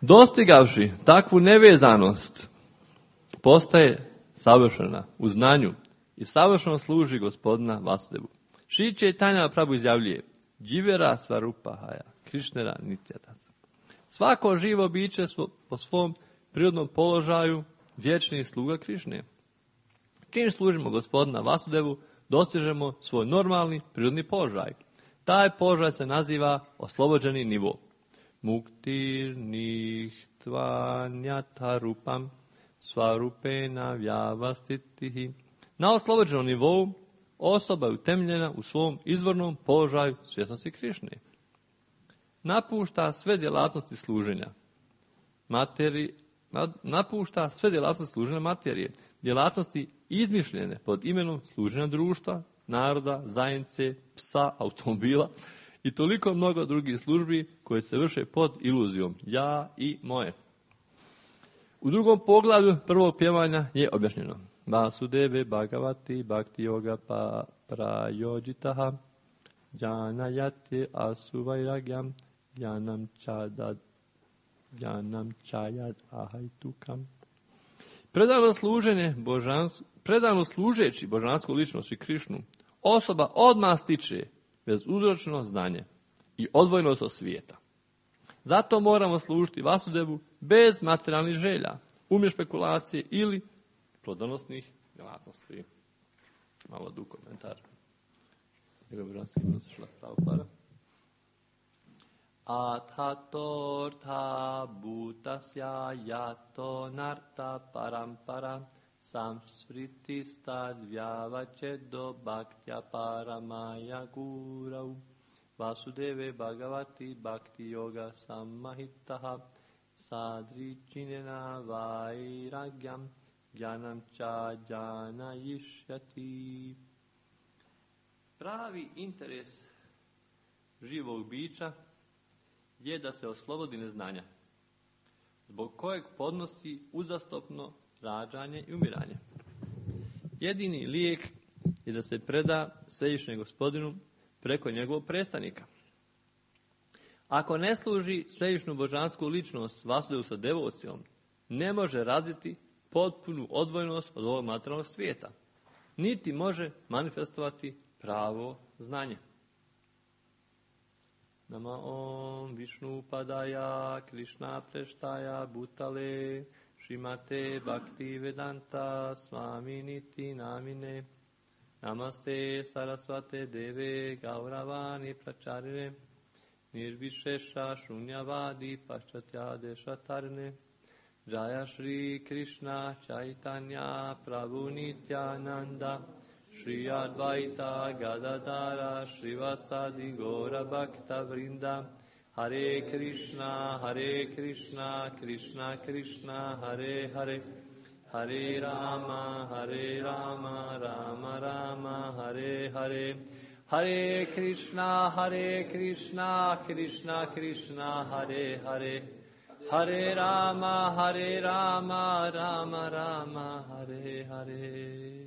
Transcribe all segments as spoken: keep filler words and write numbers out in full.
Dostigavši takvu nevezanost, postaje savršena u znanju i savršeno služi Gospodina Vasudevu. Šri Čaitanja Prabhu izjavljuje: Dživera Svarupahaja, Krišnera Nityadasa. Svako živo biće po svom prirodnom položaju vječni sluga Krišne. Čim služimo Gospodina Vasudevu, dostižemo svoj normalni prirodni položaj. Taj položaj se naziva oslobođeni nivo. Muktir nihtvanyata rupam svarupena vyavastitihi. Na oslobođenom nivou osoba je utemeljena u svom izvornom položaju svjesnosti Krišne. Napušta sve djelatnosti služenja materije, napušta sve djelatnosti služenja materije, djelatnosti izmišljene pod imenom služenja društva, naroda, zajednice, psa, automobila i toliko mnogo drugih službi koje se vrše pod iluzijom ja i moje. U drugom poglavlju prvog pjevanja je objašnjeno: Vasudeve Bhagavati Bhakti Yoga pa prayojitaha janayate asuvailagyam janam chadad janam chayad ahaitukam. Predano služenje božanstvu, predano služeći božansku ličnost i Krišnu, osoba odmah stiče bezuzročno znanje i odvojnost od svijeta. Zato moramo služiti Vasudevu bez materijalnih želja, umje špekulacije ili plodonosnih djelatnosti. Malo du komentar. Njegov božanski milost šla pravo para. Athatortha bhutasya yato narta parampara samsritistad vyavachedo bhaktya paramaya gurau Vasudeve Bhagavati Bhakti Yoga Sammahitaha Sadričinena Vairagyam Jnanam Cha Jnanayishyati. Pravi interes živog bića je da se oslobodi neznanja, zbog kojeg podnosi uzastopno rađanje i umiranje. Jedini lijek je da se preda svevišnjem Gospodinu preko njegovog predstavnika. Ako ne služi svevišnju božansku ličnost Vasudevu sa devocijom, ne može razviti potpunu odvojenost od ovog materijalnog svijeta, niti može manifestovati pravo znanje. Nama om Višnu Padaya Krishna Preštaja Bhutale Šrimate Bhakti Vedanta Swami Niti Namine Namaste Sarasvate Deve Gauravani Pracharine Nirvišeša Šunjavadi Paščatya Dešatarne Jaya Shri Krishna Chaitanya Prabhu Nityananda Shri Advaita Gadadara Shrivasadi Gora Bhakta Vrinda Hare Krishna Hare Krishna Krishna Krishna Hare Hare Hare Rama Hare Rama Rama Rama Hare Hare Hare Krishna Hare Krishna Krishna Krishna Hare Hare Hare Rama Hare Rama Rama Rama Hare Hare.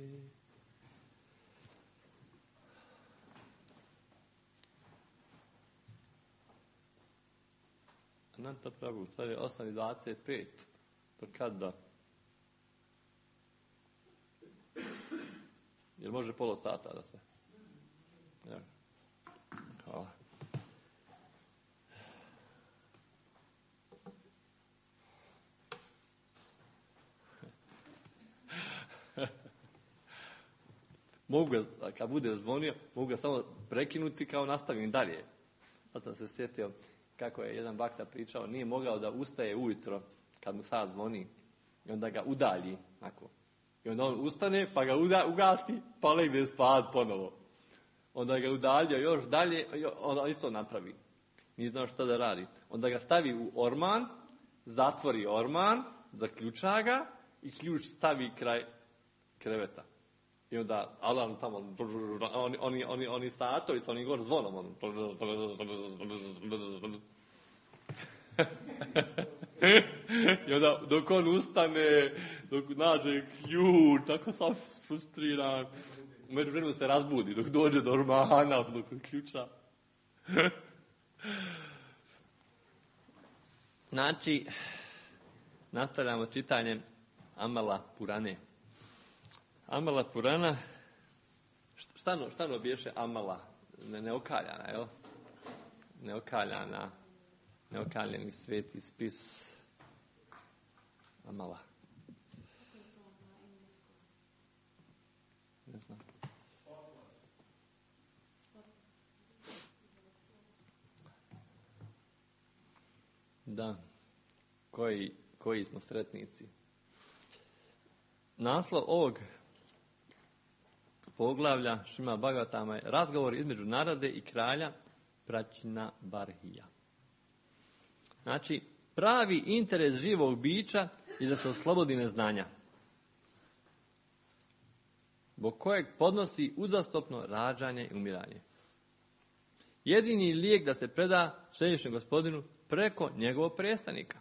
Ananta Prabhu, to je osam i dvadeset pet. Do kada? Jer može polo sata da se... Ja. Hvala. Mogu ga, kad bude zvonio, mogu ga samo prekinuti kao nastavim dalje. Pa sam se sjetio kako je jedan bakta pričao, nije mogao da ustaje ujutro kad mu sad zvoni i onda ga udalji. Tako. I onda on ustane, pa ga uda, ugasi, pa legne spad ponovo. Onda ga udaljio još dalje, onda isto napravi. Nije znao šta da radi. Onda ga stavi u orman, zatvori orman, zaključa ga i ključ stavi kraj kreveta. I onda alarm tamo, oni, oni, oni, oni satovi sa onim gor zvonom. On. I onda dok on ustane, dok nađe ključ, tako sam frustriran. U međuvremenu se razbudi, dok dođe do ormana, dok ključa. Znači, nastavljamo čitanje Amala Purane. Amala Purana, šta no, šta no biješe Amala? Ne, neokaljana, jel? Neokaljana, neokaljeni sveti spis Amala. Ne znam. Da, koji, koji smo sretnici. Naslov ovog poglavlja Šima Bhagavatama je razgovor između narade i kralja Pračina Barhija. Znači, pravi interes živog bića je da se oslobodi neznanja, zbog kojeg podnosi uzastopno rađanje i umiranje. Jedini lijek da se preda svevišnjem gospodinu preko njegovog predstavnika.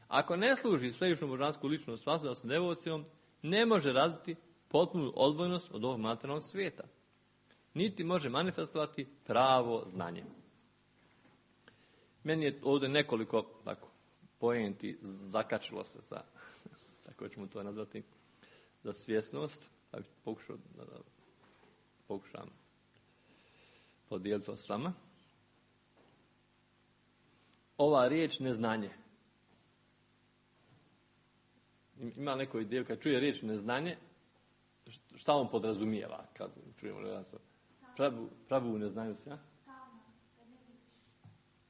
Ako ne služi svevišnju božansku ličnost svasodom sa devocijom, ne može razviti potpunu odvojnost od ovog materijalnog svijeta. Niti može manifestovati pravo znanje. Meni je ovdje nekoliko tako, poenti zakačilo se sa, tako ćemo to nazvati, za svjesnost. Pa bih pokušao da, da pokušam podijeliti to s vama. Ova riječ neznanje. Ima neko ideju, kad čuje riječ neznanje, šta on podrazumijeva kad čujemo pravu, pravu neznanju se? Ja?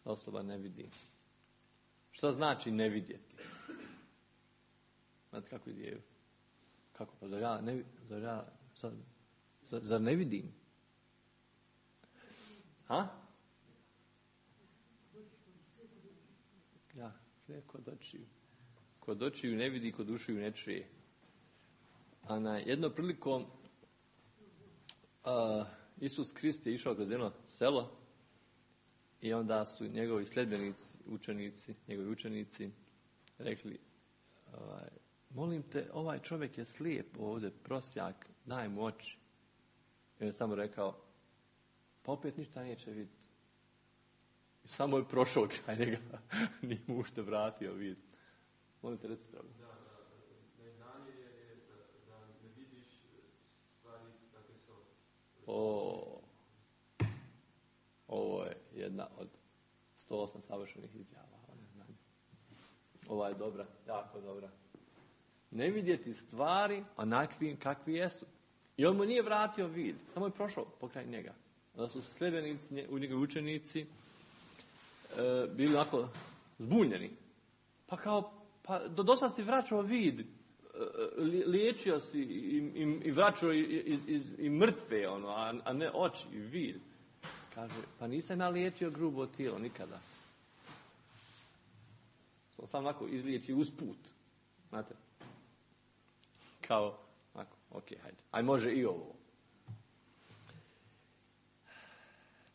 Osoba ne vidi. Šta znači ne vidjeti? Znate kako ideju? Kako pa, zar ja ne, zar ja, zar, zar ne vidim? Ha? Ja, sve kod očiju. Kod očiju ne vidi, kod ušiju ne čuje. A na jednom prilikom uh, Isus Krist je išao kroz jedno selo i onda su njegovi sljedbenici, učenici, njegovi učenici rekli, ovaj, molim te, ovaj čovjek je slijep ovdje, prosjak, daj mu oči. I on je samo rekao, pa opet ništa neće vidjeti. I samo je prošao kraj njega, nije mu ušte vratio vid. Molim te, reci pravno. Da, da, neznanje je da, da ne vidiš stvari kakve su. O, ovo je jedna od sto osam savršenih izjava o neznanju. Ova je dobra, jako dobra. Ne vidjeti stvari onakvim kakvi jesu. I on mu nije vratio vid, samo je prošao pokraj njega. Onda su sljedbenici, u njegovi učenici, e, bili onako zbunjeni. Pa kao, pa do dosta si vraćao vid, e, liječio si i, i, i vraćao i, i, i, i mrtve, ono, a, a ne oči i vid. Kaže, pa nisam ja liječio grubo tijelo nikada. Sam onako izliječi usput. Znate? Kao, ako, ok, hajde. Aj može i ovo.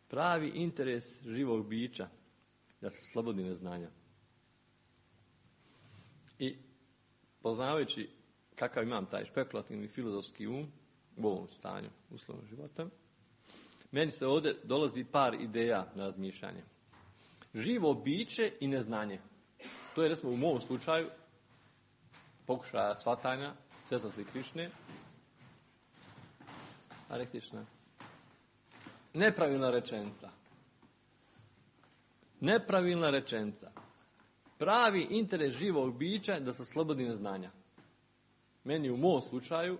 Pravi interes živog bića da se slobodi neznanja. I poznavajući kakav imam taj špekulativni filozofski um u ovom stanju uslovnog života, meni se ovdje dolazi par ideja na razmišljanje. Živo biće i neznanje. To je, recimo, u mom slučaju pokušaja shvatanja svjesnosti Krišne. Hare Krišna. Nepravilna rečenica. Nepravilna rečenica. Pravi interes živog bića je da se slobodi neznanja. Meni u mom slučaju,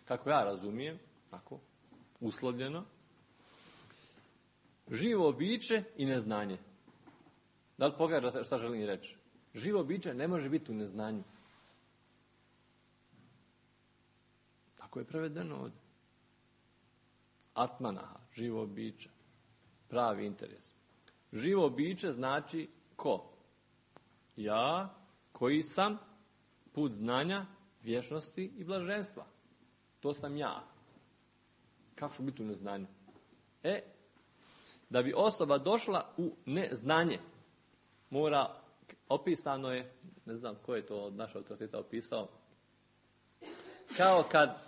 kako ja razumijem, tako, uslovljeno, živo biće i neznanje. Da li pogledajte šta želim reći? Živo biće ne može biti u neznanju. Tako je prevedeno ovdje. Atmanaha, živo biće. Pravi interes. Živo biće znači ko? Ja, koji sam put znanja, vječnosti i blaženstva. To sam ja. Kako ću biti u neznanju? E, da bi osoba došla u neznanje, mora, opisano je, ne znam ko je to od našeg autoriteta opisao, kao kad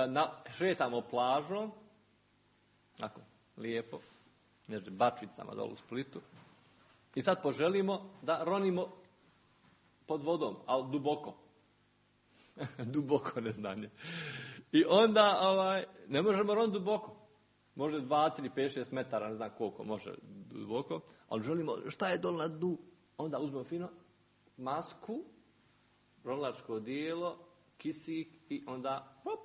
na, šetamo plažom, tako, lijepo, među bačvicama dolu u Splitu, I sad poželimo da ronimo pod vodom, ali duboko. Duboko neznanje. I onda ovaj, ne možemo roniti duboko. Može dva, tri, pet, šest metara, ne znam koliko može duboko, ali želimo, šta je dole na dnu? Onda uzmemo fino masku, ronilačko odijelo, kisik i onda hop.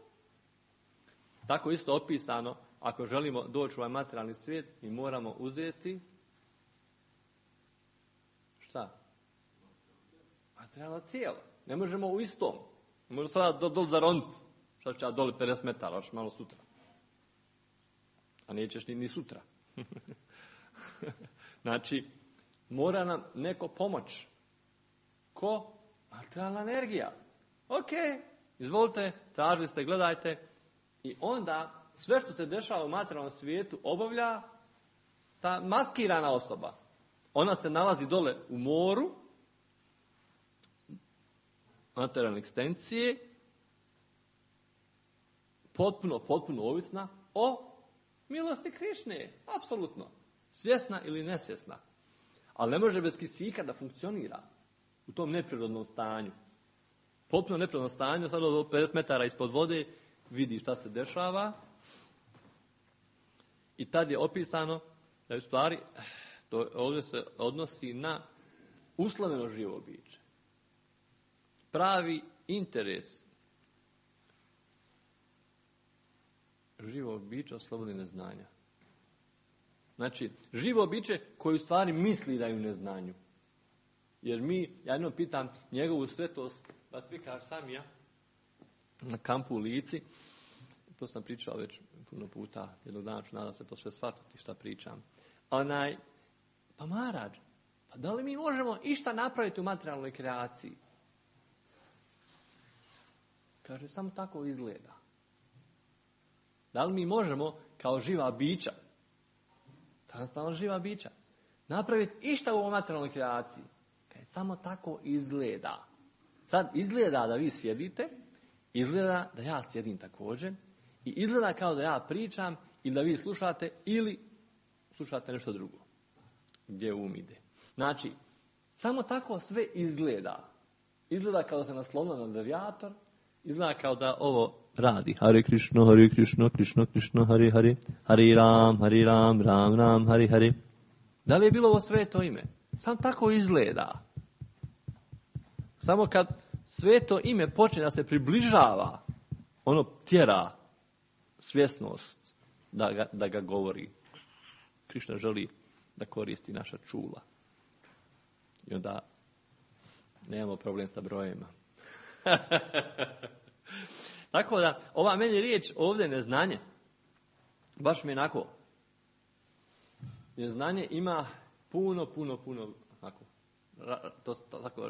Tako isto opisano, ako želimo doći u ovaj materijalni svijet, mi moramo uzeti šta? Materijalno tijelo. Ne možemo u istom. Ne možemo sada do, dol zaroniti. Šta ću ja doli pedeset metara, još malo sutra. A nećeš ni, ni sutra. Znači, mora nam neko pomoć. Ko? Materijalna energija. Ok, izvolite, tražili ste, gledajte. I onda sve što se dešava u materijalnom svijetu obavlja ta maskirana osoba. Ona se nalazi dole u moru, materijalne ekstencije, potpuno, potpuno ovisna o milosti Krišne. Apsolutno. Svjesna ili nesvjesna. Ali ne može bez kisika da funkcionira u tom neprirodnom stanju. Potpuno neprirodnom stanju, sad od pedeset metara ispod vode, vidi šta se dešava. I tad je opisano da je u stvari, to ovdje se odnosi na usloveno živo biće. Pravi interes živog bića slobodi neznanja. Znači, živo biće koji u stvari misli da je u neznanju. Jer mi, ja jednom pitam njegovu svetost, Vatvika Samija, na kampu u Lici, to sam pričao već puno puta, jednog dana ću nadam se to sve shvatiti šta pričam. Onaj, pa Maradž, pa da li mi možemo išta napraviti u materijalnoj kreaciji? Kaže, samo tako izgleda. Da li mi možemo, kao živa bića, transtalno živa bića, napraviti išta u ovoj materijalnoj kreaciji? Kaže, samo tako izgleda. Sad izgleda da vi sjedite, izgleda da ja sjedim također, i izgleda kao da ja pričam, ili da vi slušate, ili slušate nešto drugo. Gdje um ide. Znači, samo tako sve izgleda. Izgleda kao da se naslonilo na radijator, izgleda kao da ovo radi. Hare Krishna, Hare Krishna, Krishna Krishna, Hare Hare, Hare Ram, Hare Ram, Ram Ram, Hare Hare. Da li je bilo ovo sveto ime? Samo tako izgleda. Samo kad sveto ime počne da se približava, ono tjera svjesnost da ga, da ga govori. Krišna želi da koristi naša čula. I onda nemamo problem sa brojima. Tako da, ova meni riječ ovdje neznanje, baš mi je onako, neznanje ima puno, puno, puno, onako, to, to, tako,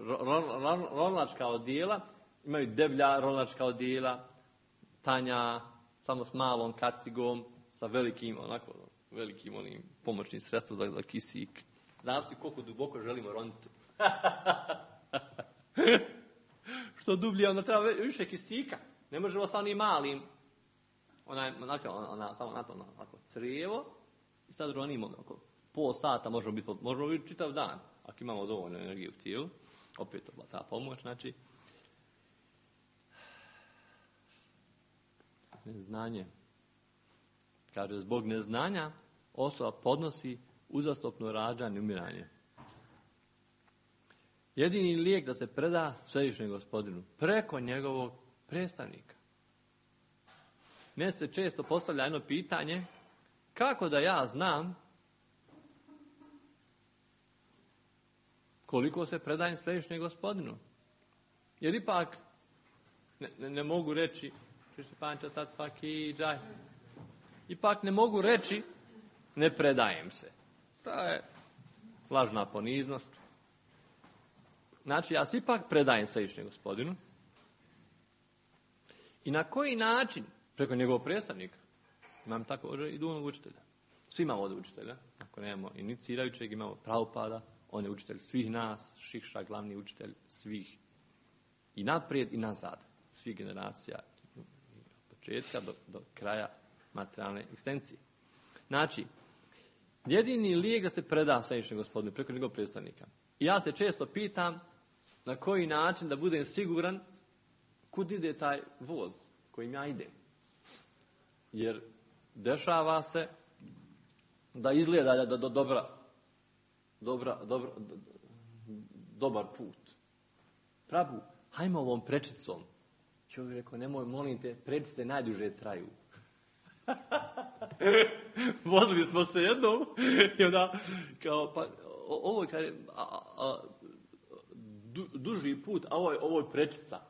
ronilačka odijela, imaju deblja ronilačka odijela, tanja, samo s malom kacigom, sa velikim, onako, velikim onim pomoćnim sredstvom za, za kisik. Znači koliko duboko želimo roniti. Što dublje, onda treba više kisika. Ne možemo sa onim malim, onaj, onako, ona, samo na to, onako, crijevo, i sad ronimo, oko pol sata možemo biti, možemo biti čitav dan, ako imamo dovoljno energije u tijelu, opet to ta pomoć, znači, neznanje. Kaže, zbog neznanja osoba podnosi uzastopno rađanje i umiranje. Jedini lijek da se preda Svevišnjem Gospodinu preko njegovog predstavnika. Meni se često postavlja jedno pitanje, kako da ja znam koliko se predajem Svevišnjem Gospodinu? Jer ipak ne, ne, ne mogu reći ipak ne mogu reći ne predajem se. To je lažna poniznost. Znači, ja se ipak predajem Svevišnjem Gospodinu. I na koji način? Preko njegovog predstavnika. Imam također i duhovnog učitelja. Svi imamo ovdje učitelja. Ako nemamo inicirajućeg, imamo Prabhupada. On je učitelj svih nas. Šikša, glavni učitelj svih. I naprijed i nazad. Svih generacija. Od početka do, do kraja materijalne ekstencije. Znači, jedini lijek da se preda Svevišnjem Gospodinu preko njegovog predstavnika. I ja se često pitam na koji način da budem siguran kud ide taj voz kojim ja idem. Jer dešava se da izgleda da do dobra, dobra, dobra, do, dobar put. Pravu, hajmo ovom prečicom. Čovjek rekao, nemoj, molim te, prečice najduže traju. Vozili smo se jednom i onda, kao, pa, ovo je du, duži put, a ovo je, ovo je prečica.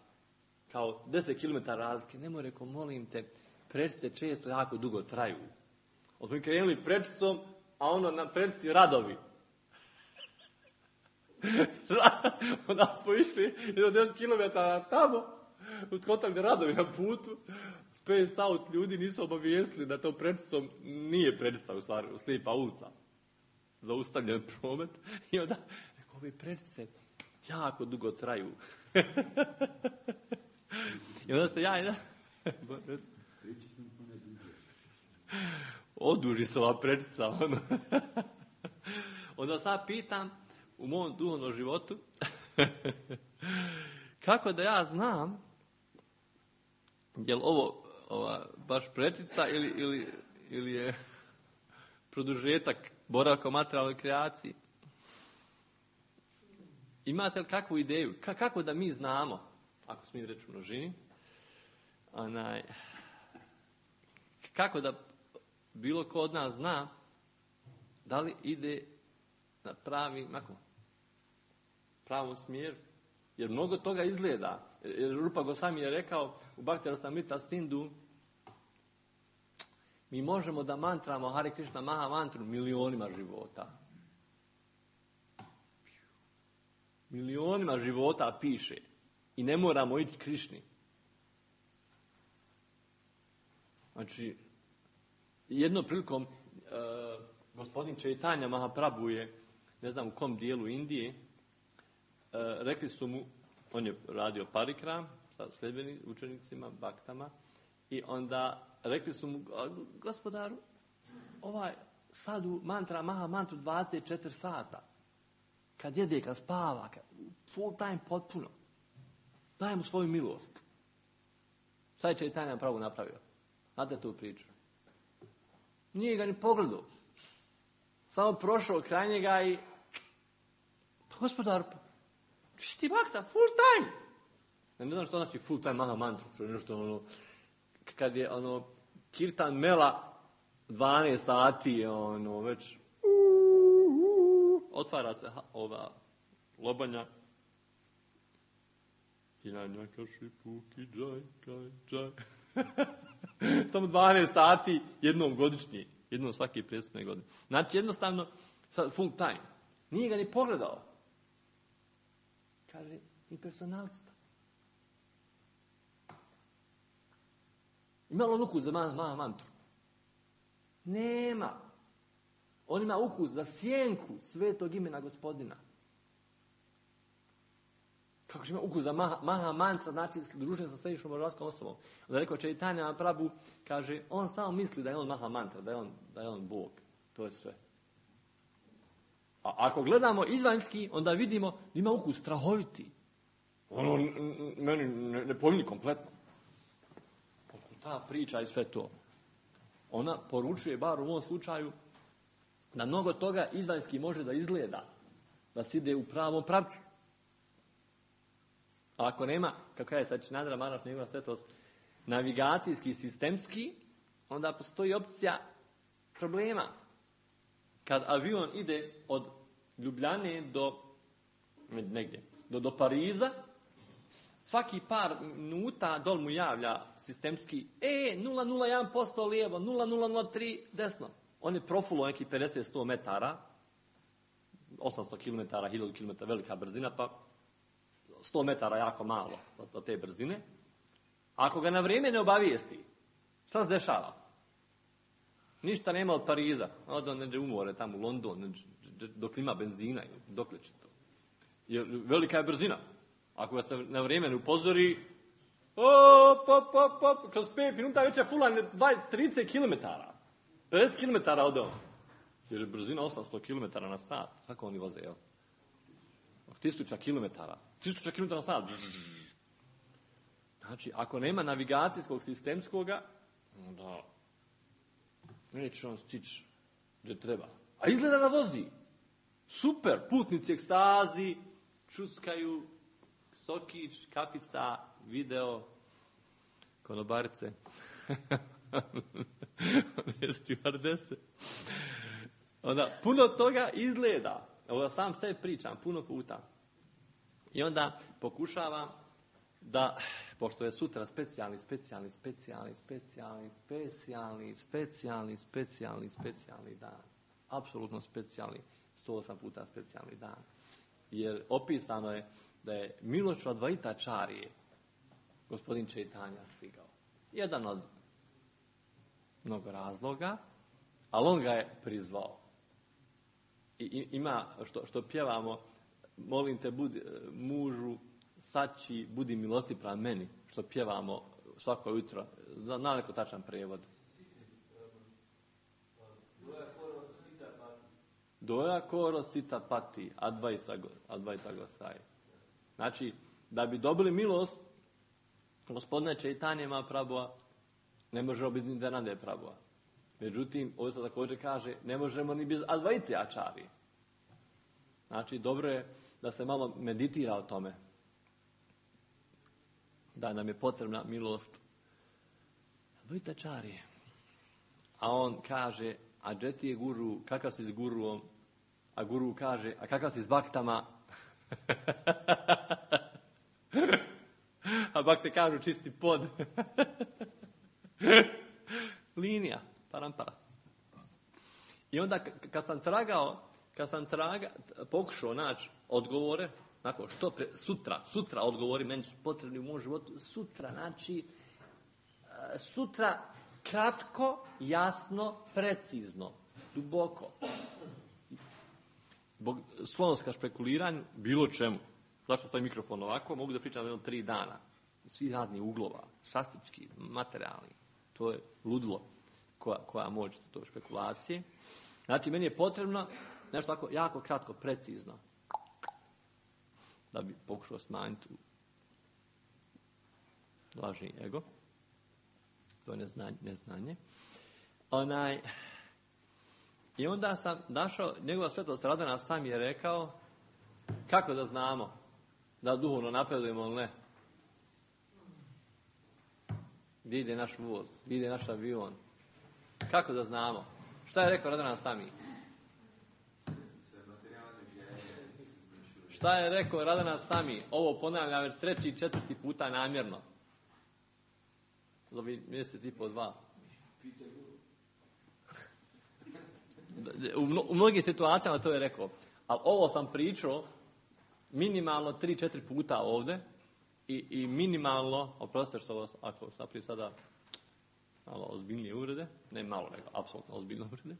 Kao deset kilometara razlike. Nemoj, rekao, molim te, prečice često jako dugo traju. Od smo krenuli prečicom, a ono na prečici radovi. Onda smo išli do deset kilometara tamo, uz kontakt radovi na putu. Space Out ljudi nisu obavijestili da to prečicom nije prečica, u stvari, slijepa ulica. Zaustavljen promet. I onda, rekao, ove prečice jako dugo traju. I onda se ja i da... Oduži se ova prečica. Ono. Onda sad pitam u mom duhovnom životu kako da ja znam je li ovo ova, baš prečica ili, ili, ili je produžetak boravka u materijalnoj kreaciji. Imate li kakvu ideju? Ka, kako da mi znamo, ako smijem reći u množini, onaj, kako da bilo ko od nas zna da li ide na pravi, mako, pravom smjeru. Jer mnogo toga izgleda. Jer Rupa Goswami je rekao u Bhakti Rasamrita Sindhu, mi možemo da mantramo Hare Krishna Maha mantru milionima života. Milionima života piše. I ne moramo ići Krišni. Znači, jednom prilikom uh, gospodin Chaitanya Mahaprabhu je, ne znam u kom dijelu Indije, uh, rekli su mu, on je radio parikram sa sljedbenim učenicima, baktama, i onda rekli su mu, gospodaru, ovaj sadhu mantra, maha mantru dvadeset četiri sata. Kad jede, kad spava, kad, full time potpuno. Daj mu svoju milost. Sad je Chaitanya pravo napravio. Znate tu priču? Nije ga ni pogledao. Samo prošao kraj njega i pa gospodar, pa ti bakta, full time. Ja ne znam što znači full time maha mantru. Što je nešto ono, kad je ono kirtan mela dvanaest sati, ono već otvara se ova lobanja. I na njaka šipuki džaj, džaj, džaj. Samo dvanaest sati jednom godišnje. Jednom svake prethodne godine. Znači jednostavno full time. Nije ga ni pogledao. Kaže, i personalista. Ima li on ukus za maha mantru? Nema. On ima ukus za sjenku svetog imena Gospodina. Kako će ima ukus za maha, maha mantra, znači druženje sa svevišnjom božanskom osobom. Onda je rekao Chaitanya Mahaprabhu, kaže, on samo misli da je on maha mantra, da je on, da je on Bog. To je sve. A ako gledamo izvanjski, onda vidimo da ima ukus strahoviti. Ono meni ne, ne pojmi kompletno. Ta priča i sve to. Ona poručuje, bar u ovom slučaju, da mnogo toga izvanjski može da izgleda, da se ide u pravom pravcu. A ako nema, kako je sad Činandra Maharaj njegova svetost, navigacijski, sistemski, onda postoji opcija problema. Kad avion ide od Ljubljane do negdje, do, do Pariza, svaki par minuta dol mu javlja sistemski, e, nula zarez nula jedan posto lijevo, nula zarez nula nula tri desno. On je profulo neki pedeset do sto metara, osamsto kilometara, hiljadu kilometara, velika brzina, pa sto metara jako malo od te brzine. Ako ga na vrijeme ne obavijesti, šta se dešava? Ništa nema od Pariza. Onda neđe umore tamo u London, dok ima benzina, dok li će to. Jer velika je brzina. Ako ga se na vrijeme ne upozori, op, op, op, op, kroz pet minuta već je fulan trideset kilometara. pedeset kilometara od on. Jer je brzina osamsto kilometara na sat. Kako oni voze, jel? tisuća kilometara. tisuća kilometara na sat. Znači, ako nema navigacijskog sistemskoga, onda neće on stići gdje treba. A izgleda da vozi. Super, putnici ekstazi, čuskaju, sokić, kapica, video, konobarice, stewardese. Onda, puno toga izgleda. Ovo sam sve pričam, puno puta. I onda pokušavam da, pošto je sutra specijalni, specijalni, specijalni, specijalni, specijalni, specijalni, specijalni, specijalni dan. Apsolutno specijalni, sto osam puta specijalni dan. Jer opisano je da je Miloš Advaita Čarije, gospodin Čaitanja, stigao. Jedan od mnogo razloga, ali on ga je prizvao. I ima, što, što pjevamo, molim te, budi, mužu, sači, budi milosti prema meni, što pjevamo svako jutro. Zna neko tačan prevod? Doja koro sita pati, advaita gosai. Znači, da bi dobili milost, gospodine Čaitanje Mahaprabhua, ne možemo bez Nityanande Prabhua. Međutim, ovdje se također kaže, ne možemo ni bez Advaite Acharije. Znači, dobro je da se malo meditira o tome. Da nam je potrebna milost Advaite Acharije. A on kaže, a gdje ti je guru, kakav si s guruom? A guru kaže, a kakav si s baktama? A bakte kažu, čisti pod. Linija, parampara. I onda kad sam tragao, kad sam traga, pokušao naći odgovore, nakon što pre, sutra, sutra odgovori, meni su potrebni u mom životu, sutra, znači, sutra kratko, jasno, precizno, duboko. Zbog sklonost ka špekuliranju, bilo čemu. Zašto stoji mikrofon ovako? Mogu da pričam jedno tri dana. Svi radni uglova, šastički, materijalni. To je ludilo koja, koja moć to špekulacije. Znači, meni je potrebno nešto tako jako kratko, precizno. Da bi pokušao smanjiti lažni ego. To je neznanje. neznanje. Onaj, I onda sam našao, njegova svetost Radana sam je rekao, kako da znamo da duhovno napredujemo ili ne? Gdje ide naš voz? Gdje ide naš avion? Kako da znamo? Šta je rekao Radana Sami? Šta je rekao Radana Sami? Ovo ponavljam već treći i četvrti puta namjerno. Zovi mjesec i po dva. U, mno, u mnogim situacijama to je rekao. Ali ovo sam pričao minimalno tri, četiri puta ovdje i, i minimalno, oprostite što vas, ako naprije sada malo ozbiljnije uvrede, ne malo, nego apsolutno ozbiljne uvrede.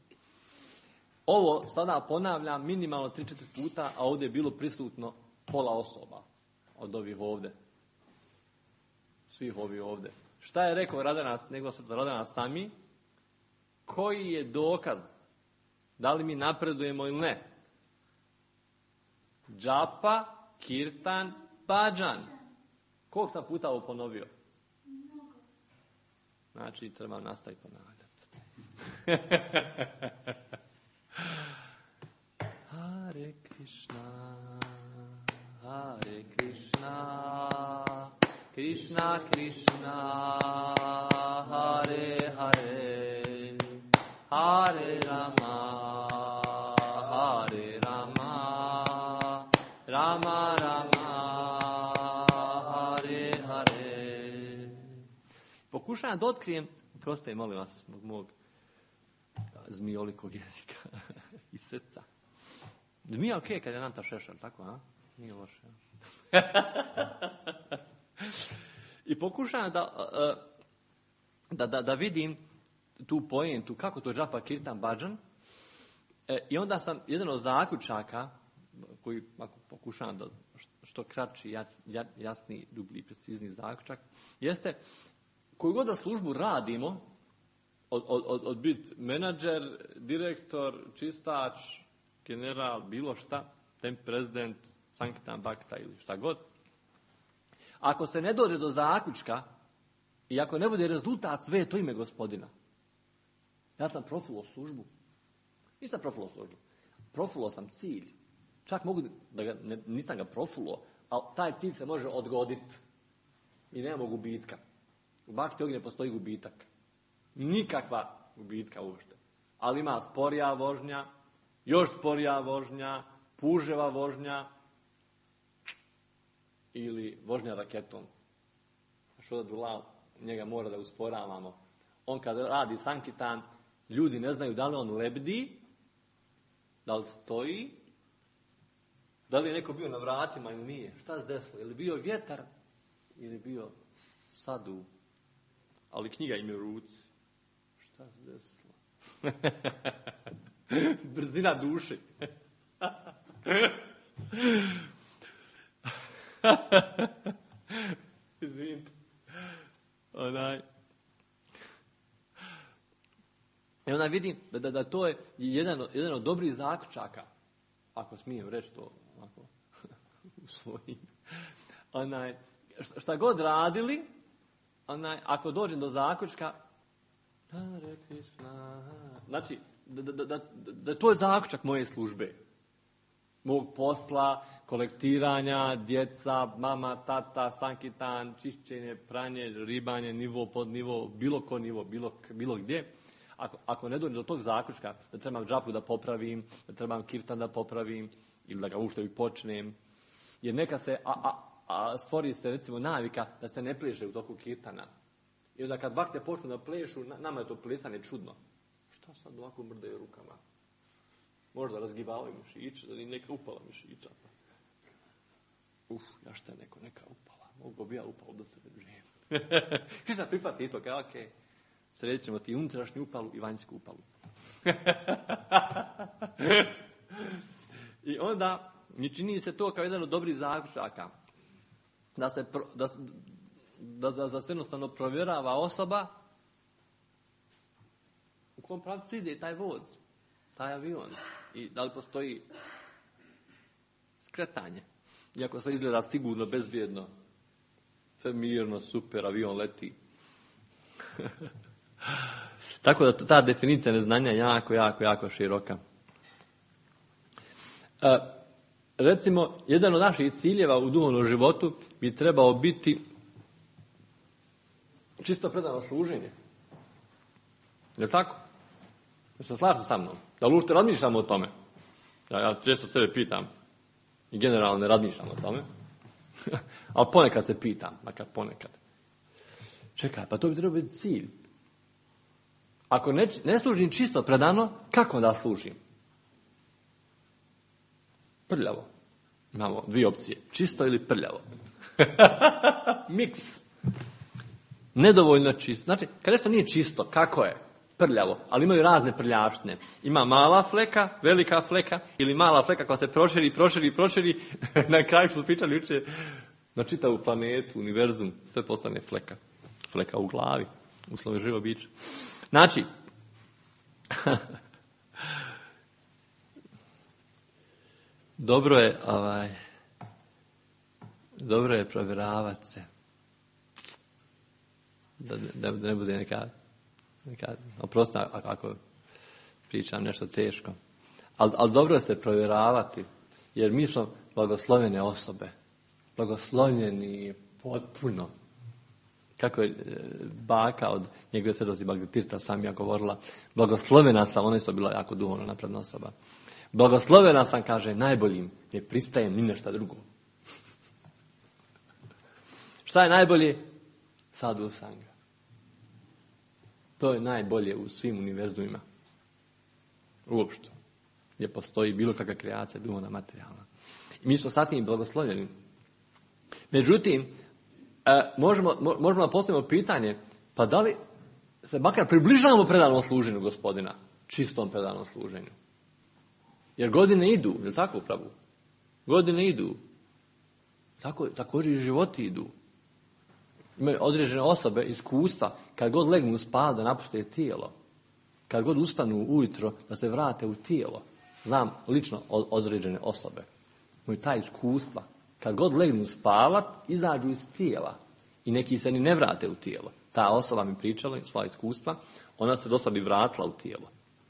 Ovo sada ponavljam minimalno tri, četiri puta, a ovdje je bilo prisutno pola osoba od ovih ovdje. Svih ovih ovdje. Šta je rekao Radana, nego se za Radana Sami? Koji je dokaz? Da li mi napredujemo ili ne? Džapa, kirtan, bhajan. Koliko sam puta ovo ponovio? Znači, treba nastaviti ponavljati. Hare Krishna, Hare Krishna, Krishna Krishna, Hare Hare, Hare Rama, Hare Rama, Rama Rama, Hare Hare. Pokušavam da otkrijem, proste molim vas, mog, mog zmijolikog jezika i srca. Da mi je okej okay kad je Nanta Šešar, tako, a? Nije loše. I pokušavam da, da, da, da vidim tu pojentu, kako to džapa kirtan bhajan. E, I onda sam, jedan od zaključaka, koji ako pokušavam da što kraći, jasni, dublji, precizni zaključak, jeste, koju god da službu radimo, od, od, od, od biti menadžer, direktor, čistač, general, bilo šta, tem prezident, sankitan bakta ili šta god. Ako se ne dođe do zaključka i ako ne bude rezultat sve to ime Gospodina. Ja sam profulo službu. Nisam profulo službu. Profulo sam cilj. Čak mogu da ga, ne, nisam ga profulo, ali taj cilj se može odgoditi. I nema gubitka. U bakti ognje postoji gubitak. Nikakva gubitka uopšte. Ali ima sporija vožnja, još sporija vožnja, puževa vožnja ili vožnja raketom. Što da dula, njega mora da usporavamo. On kad radi sankitan, ljudi ne znaju da li on lebdi, da li stoji, da li je neko bio na vratima ili nije. Šta se desilo? Je li bio vjetar ili bio sadu? Ali knjiga im je u ruci. Šta se desilo? Brzina duše. Izvinite. Onaj. I onda vidim da, da, da to je jedan, jedan od dobrih zaključaka, ako smijem reći to ovako u svojim. Onaj, šta god radili, onaj, ako dođem do zaključka, Hare Krishna, znači, da, da, da, da to je zaključak moje službe. Mog posla, kolektiranja, djeca, mama, tata, sankitan, čišćenje, pranje, ribanje, nivo pod nivo, bilo ko nivo, bilo, bilo gdje. Ako, ako ne dođem do tog zaključka, da trebam džapu da popravim, da trebam kirtan da popravim, ili da ga ušte i počnem, jer neka se, a, a, a stvori se recimo navika da se ne pleše u toku kirtana. I onda kad bakte počnu da plešu, nama je to plesanje čudno. Šta sad ovako mrdaju rukama? Možda razgibavaju mišić, da li neka upala mišića. Uf, ja šta je neko, neka upala. Mogu bi ja upalo da se ne živim. Krišna prihvati to, kao okej. Okay. Sredit ćemo ti unutrašnju upalu i vanjsku upalu. I onda mi čini se to kao jedan od dobrih zaključaka. Da se, da, da, da, da se jednostavno provjerava osoba u kom pravcu ide taj voz, taj avion. I da li postoji skretanje. Iako se izgleda sigurno, bezbjedno. Sve mirno, super, avion leti. Tako da ta definicija neznanja je jako, jako, jako široka. E, recimo, jedan od naših ciljeva u duhovnom životu bi trebao biti čisto predano služenje. Je li tako? Da se slažete sa mnom? Da li uopšte razmišljamo o tome? Ja, ja često sebe pitam i generalno ne razmišljam o tome. Ali ponekad se pitam, makar ponekad. Čekaj, pa to bi trebao biti cilj. Ako ne, ne služim čisto predano, kako da služim? Prljavo. Imamo dvije opcije. Čisto ili prljavo. Miks. Nedovoljno čisto. Znači, kad nešto nije čisto, kako je? Prljavo. Ali imaju razne prljavštine. Ima mala fleka, velika fleka, ili mala fleka koja se proširi, proširi, proširi. Na kraju smo pričali juče na čitavu planetu, univerzum, sve postane fleka. Fleka u glavi, uslovi živo biće. Znači, dobro je, ovaj, dobro je provjeravati se. Da, da, da ne bude neka, neka oprosti ako, ako pričam nešto teško. Ali al dobro je se provjeravati, jer mi smo blagoslovene osobe. Blagoslovljeni potpuno. Kako je baka od njegove svetosti Bagdatirta sam ja govorila, blagoslovena sam, ona je bila jako duhovno napredna osoba. Blagoslovena sam, kaže, najboljim, ne pristajem ni nešto drugo. Šta je najbolje? Sadhu sanga. To je najbolje u svim univerzumima. Uopšte. Gdje postoji bilo kakva kreacija, duhovna, materijalna. I mi smo sa tim blagoslovljeni. Međutim, E, možemo, možemo da postavimo pitanje, pa da li se makar približavamo predanom služenju Gospodina, čistom predanom služenju? Jer godine idu, je li tako upravo? Godine idu. Tako, također i životi idu. Imaju određene osobe, iskustva, kad god legnu u spav da napuste tijelo. kad god ustanu ujutro, da se vrate u tijelo. Znam lično određene osobe. Imaju ta iskustva. Kad god legnu spavat, izađu iz tijela. I neki se ni ne vrate u tijelo. Ta osoba mi pričala svoja iskustva, ona se do sada i vratila u tijelo.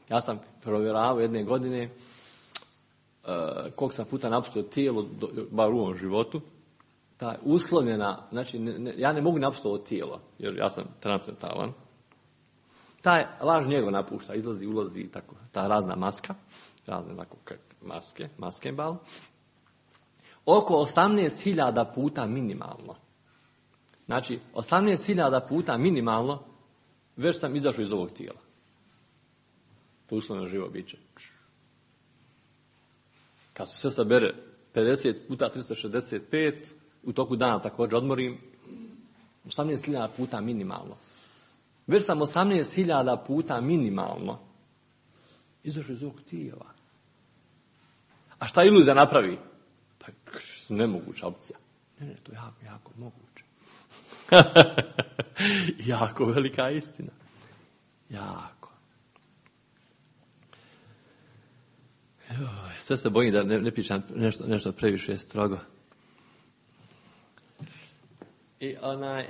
Ja sam provjeravao jedne godine uh, koliko sam puta napustio tijelo, do, bar u ovom životu. Ta uslovljena, znači ne, ne, ja ne mogu napustiti ovo tijelo, jer ja sam transcendentalan. Taj laž njega napušta, izlazi, ulazi, tako, ta razna maska, razne tako, maske, maskembal. Oko osamnaest hiljada puta minimalno. Znači, osamnaest hiljada puta minimalno, već sam izašao iz ovog tijela. To uslovno živo biće. Kad se sve sabere pedeset puta tristo šezdeset pet, u toku dana također odmorim, osamnaest hiljada puta minimalno. Već sam osamnaest hiljada puta minimalno izašao iz ovog tijela. A šta iluzija napravi? Pa nemoguća opcija. Ne, ne, to je jako, jako moguće. Jako velika istina. Jako. Evo, sve se bojim da ne, ne pričam nešto, nešto previše strogo. I onaj...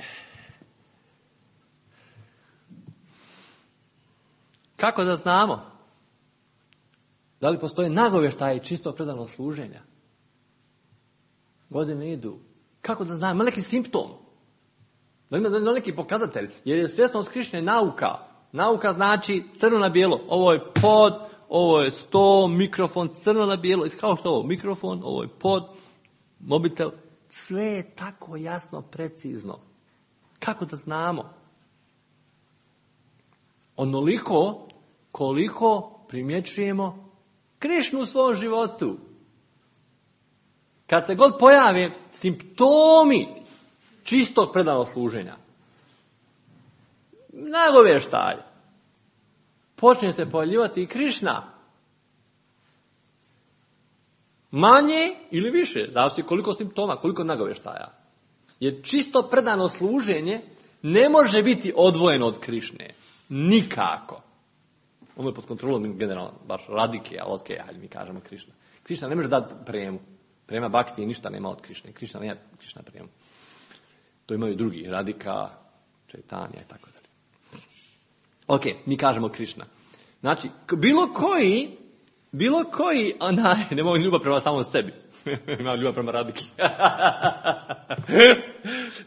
Kako da znamo? Da li postoje nagovještaje čisto predano služenja? Godine idu. Kako da znamo? Ima neki simptom? Da ima neki pokazatelj? Jer je svjesnost Krišne nauka. Nauka znači crno na bijelo. Ovo je pod, ovo je sto, mikrofon, crno na bijelo. Kao što ovo? Mikrofon, ovo je pod, mobitel. Sve je tako jasno, precizno. Kako da znamo? Onoliko koliko primjećujemo Krišnu u svom životu. Kad se god pojave simptomi čistog predanog služenja, nagovještaj, počne se pojavljivati i Krišna. Manje ili više, zavisi koliko simptoma, koliko nagovještaja. Jer čisto predano služenje ne može biti odvojeno od Krišne. Nikako. Ono je pod kontrolom generalno, baš radike, ali ok, hajde mi kažemo Krišna. Krišna ne može dati premu. Prema Bhakti ništa nema od Krišne. Krišna nema Krišna premu. To imaju drugi, Radika, Čaitanja i tako dalje. Ok, mi kažemo Krišna. Znači, bilo koji, bilo koji, onaj, nemoj ljubav prema samom sebi. Imam ljubav prema Radiki.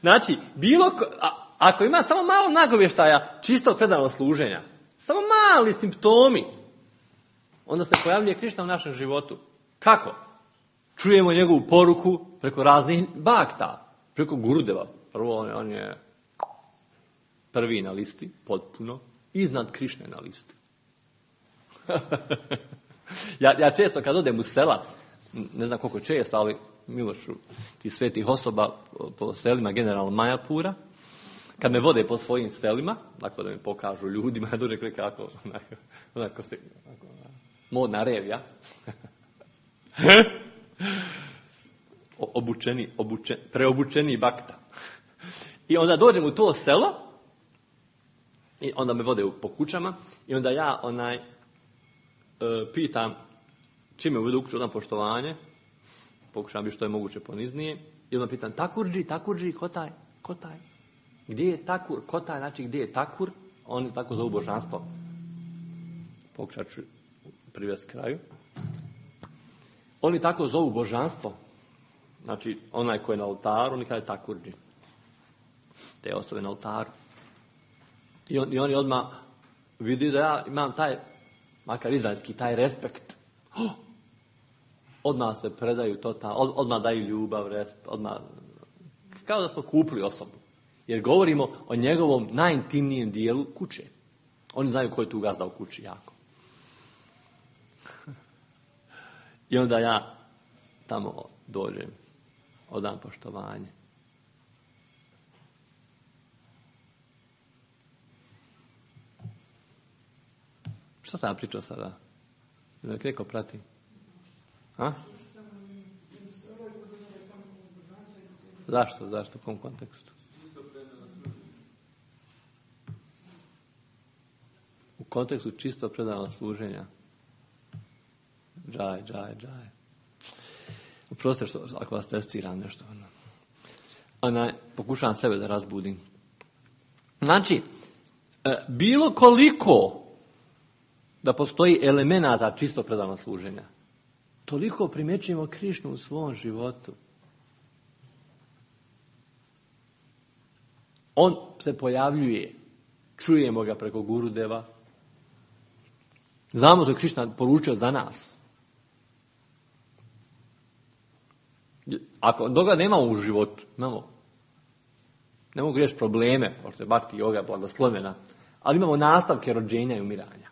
Znači, bilo ko, a, ako ima samo malo nagovještaja čistog predanog služenja, samo mali simptomi, onda se pojavljuje Krišna u našem životu. Kako? Čujemo njegovu poruku preko raznih bakta, preko Gurudeva. Prvo on je, on je prvi na listi, potpuno, iznad Krišne na listi. ja, ja često kad odem u sela, ne znam koliko često, ali Milošu, ti svetih osoba po selima, generalno Majapura, kad me vode po svojim selima, dakle da mi pokažu ljudima, ja dođem kako, onako, onako se, onako, modna revija, obučeni, obučen, preobučeni bakta. I onda dođem u to selo, i onda me vode po kućama, i onda ja onaj, e, pitam, čime uvedu u kuću, odam poštovanje, pokušam biti što je moguće poniznije, i onda pitam, takurđi, takurđi, ko taj, ko taj? Gdje je takur, ko taj, znači gdje je takur? Oni tako zovu božanstvo. Pokušat ću privesti kraju. Oni tako zovu božanstvo. Znači, onaj ko je na oltaru, oni kaže takurđi. Te osobe na oltaru. I, on, i oni odmah vidi da ja imam taj, makar izraelski, taj respekt. Oh! Odmah se predaju to, ta, od, odmah daju ljubav, respekt, odmah, kao da smo kupili osobu. Jer govorimo o njegovom najintimnijem dijelu kuće. Oni znaju ko je tu gazda u kući jako. I onda ja tamo dođem, odam poštovanje. Šta sam ja pričao sada? Nek neko prati. A? Zašto? Zašto? U kom kontekstu? U kontekstu čisto predanog služenja. Džaj, džaj, džaj. Oprostite što ako vas testiram nešto. Ona, pokušavam sebe da razbudim. Znači, bilo koliko da postoji elemenata čisto predanog služenja, toliko primjećujemo Krišnu u svom životu. On se pojavljuje, čujemo ga preko Gurudeva. Znamo što je Krišna poručio za nas. Ako toga nema u životu, imamo, ne mogu reći probleme, pošto je Bhakti yoga blagoslovena, ali imamo nastavke rođenja i umiranja.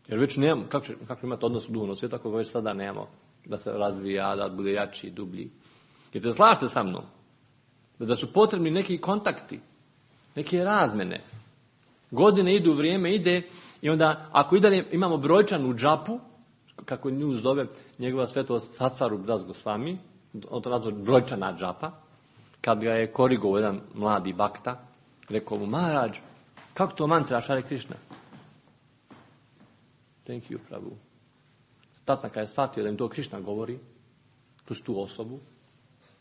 Jer već nemamo, kako, će, kako imati odnos u duhovnom svijetu, ako već sada nemamo da se razvija, da bude jači, dublji. Jer se slažete sa mnom, da su potrebni neki kontakti, neke razmene. Godine idu, vrijeme ide i onda ako i dalje imamo brojčanu džapu, kako nju zove njegova svetost Sastvarup Das Gosvami, on to nazva brojčana džapa, kad ga je korigovao jedan mladi bakta, rekao mu, Maharaj, kako to mantra Hare Krishna? Thank you, Prabhu. Tad sam kad je shvatio da im to Krishna govori, plus tu osobu,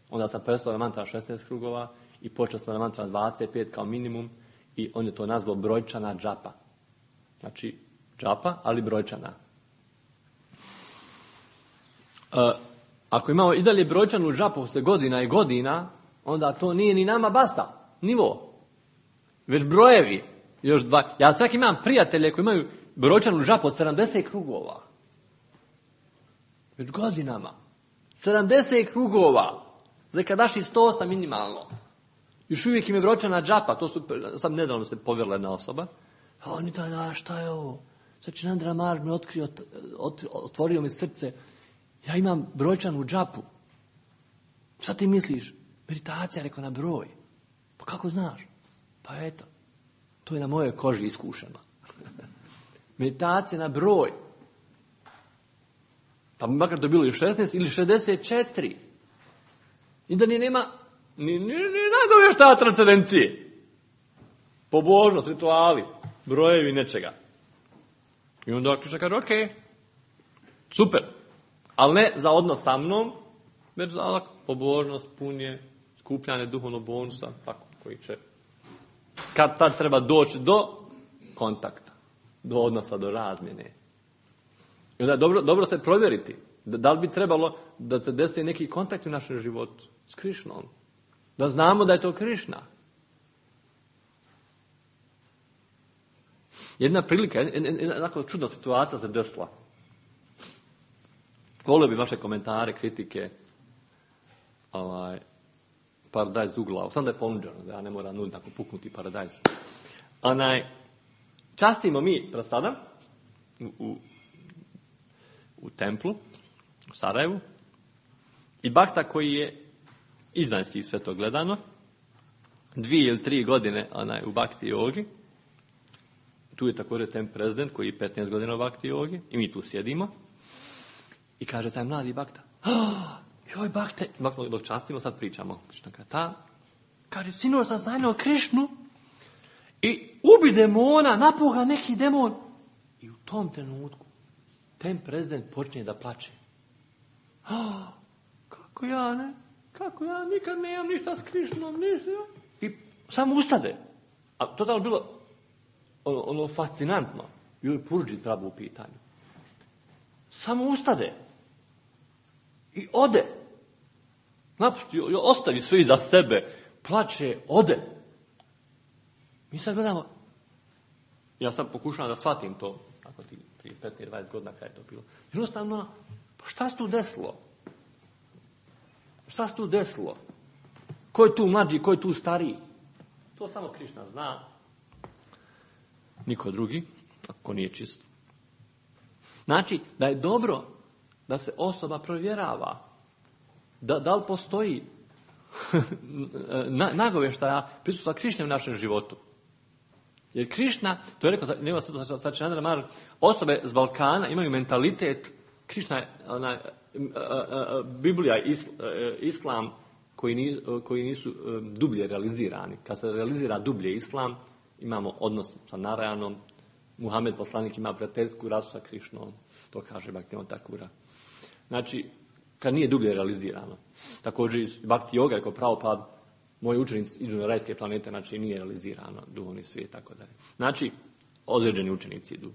onda sam prestao na mantra šesnaest krugova i počeo sam na mantra dvadeset pet kao minimum i on je to nazvao brojčana džapa. Znači, džapa, ali brojčana. E, ako imamo i dalje brojčanu džapu se godina i godina, onda to nije ni nama basa, nivo. Već brojevi. Još dva. Ja čak imam prijatelje koji imaju brojčanu džapu od sedamdeset krugova. Već godinama. sedamdeset krugova. Za kadaši sto osam minimalno. Još uvijek im je brojčana džapa. To su, sad nedavno se povjerila jedna osoba. A oni da, da, šta je ovo? Sačinandra Maharaj mi otkrio, ot, otvorio mi srce. Ja imam brojčanu džapu. Šta ti misliš? Meditacija, rekao, na broj. Pa kako znaš? Pa eto, to je na mojoj koži iskušeno. Meditacija na broj. Pa makar to bilo i šesnaest ili šezdeset četiri. I da ni nema ni, ni, ni nagovještaja transcendencije. Pobožnost, rituali, brojevi nečega. I onda Krišna kaže, ok, super, ali ne za odnos sa mnom, već za pobožnost, punje, skupljanje duhovnog bonusa, tako, koji će kad tad treba doći do kontakta, do odnosa, do razmjene. I onda je dobro, dobro se provjeriti, da, da li bi trebalo da se desi neki kontakt u našem životu s Krišnom, da znamo da je to Krišna. Jedna prilika, jedna čudna situacija se desila. Volio bi vaše komentare, kritike, ovaj, paradajz ugla. Sam da je ponuđeno, da ja ne moram nuditi tako puknuti paradajz. Onaj, častimo mi pred sada u, u, u templu, u Sarajevu, i bakta koji je izvanjski sve to gledano, dvije ili tri godine onaj, u Bhakti jogi. Tu je također temp prezident koji je petnaest godina u Bhakti jogi i mi tu sjedimo. I kaže taj mladi bakta, oh, joj bakte, dok častimo sad pričamo. Ta, kaže, sinu sam sanjao Krišnu i ubi demona, napuha neki demon. I u tom trenutku temp prezident počne da plače. Oh, kako ja ne, kako ja nikad nemam ništa s Krišnom, ništa. I samo ustade. A to je bilo ono, ono fascinantno. Joj Purđi Prabhu u pitanju. Samo ustade. I ode. Napusti, ostavi sve iza sebe. Plače, ode. Mi sad gledamo. Ja sad pokušavam da shvatim to. Ako ti prije petnaest dvadeset godina kada je to bilo. Jednostavno, pa šta se tu desilo? Šta se tu desilo? Ko je tu mlađi, ko je tu stariji? To samo Krišna zna. Niko drugi, ako nije čist. Znači, da je dobro da se osoba provjerava. Da, da li postoji nagovještaja prisustva Krišne u našem životu. Jer Krišna, to je rekao njegov Sačinandra Maharaj, osobe z Balkana imaju mentalitet, Krišna je ona, Biblija, Islam, koji, ni, koji nisu dublje realizirani. Kad se realizira dublje Islam, imamo odnos sa Narajanom, Muhamed poslanik ima prijateljsku rasu sa Krišnom. To kaže Bhaktivinoda Thakura. Znači, kad nije dublje realizirano. Također Bhakti Yoga, kao Prabhupada, moji učenici idu na rajske planete, znači nije realizirano duhovni svijet, tako dalje. Znači, određeni učenici idu.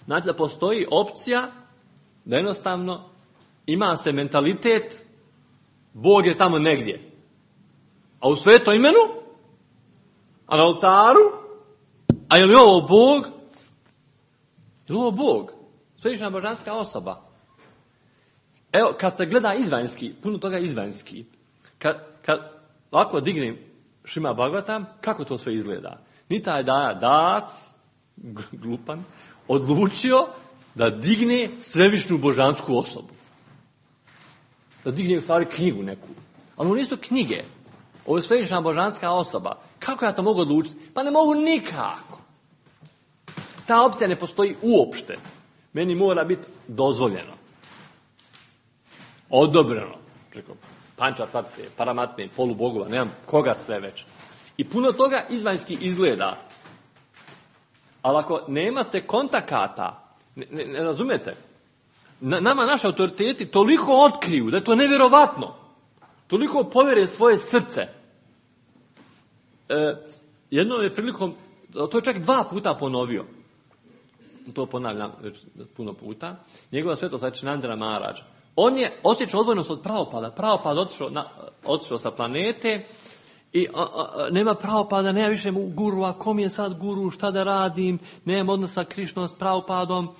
Znači da postoji opcija da jednostavno ima se mentalitet Bog je tamo negdje. A u svetom imenu, a na oltaru, a je li ovo Bog? Je li ovo Bog? Svevišnja božanska osoba. Evo, kad se gleda izvanjski, puno toga izvanjski, kad, kad ovako dignem Šima Bhagavatam, kako to sve izgleda? Ni taj da das, glupan, odlučio da digne svevišnju božansku osobu. Da digne u stvari knjigu neku. Ali ovo nisu knjige. Ovo je svevišnja božanska osoba. Kako ja to mogu odlučiti? Pa ne mogu nikako. Ta opcija ne postoji uopšte. Meni mora biti dozvoljeno. Odobreno. Preko panča, pratite, paramatne, polubogova, nemam koga sve već. I puno toga izvanjski izgleda. Ali ako nema se kontakata, ne, ne, ne razumete, Na, nama naši autoriteti toliko otkriju da je to nevjerovatno. Toliko povjere svoje srce. E, jednom je prilikom, to je čak dva puta ponovio. To ponavljam već puno puta. Njegova svetost Sačinandra Maharaj. On je osjećao odvojnost od Prabhupada. Prabhupada otišao, na, otišao sa planete i a, a, nema Prabhupada, nema više guru, a kom je sad guru, šta da radim, nema odnosa sa Krišnom, s Prabhupadom.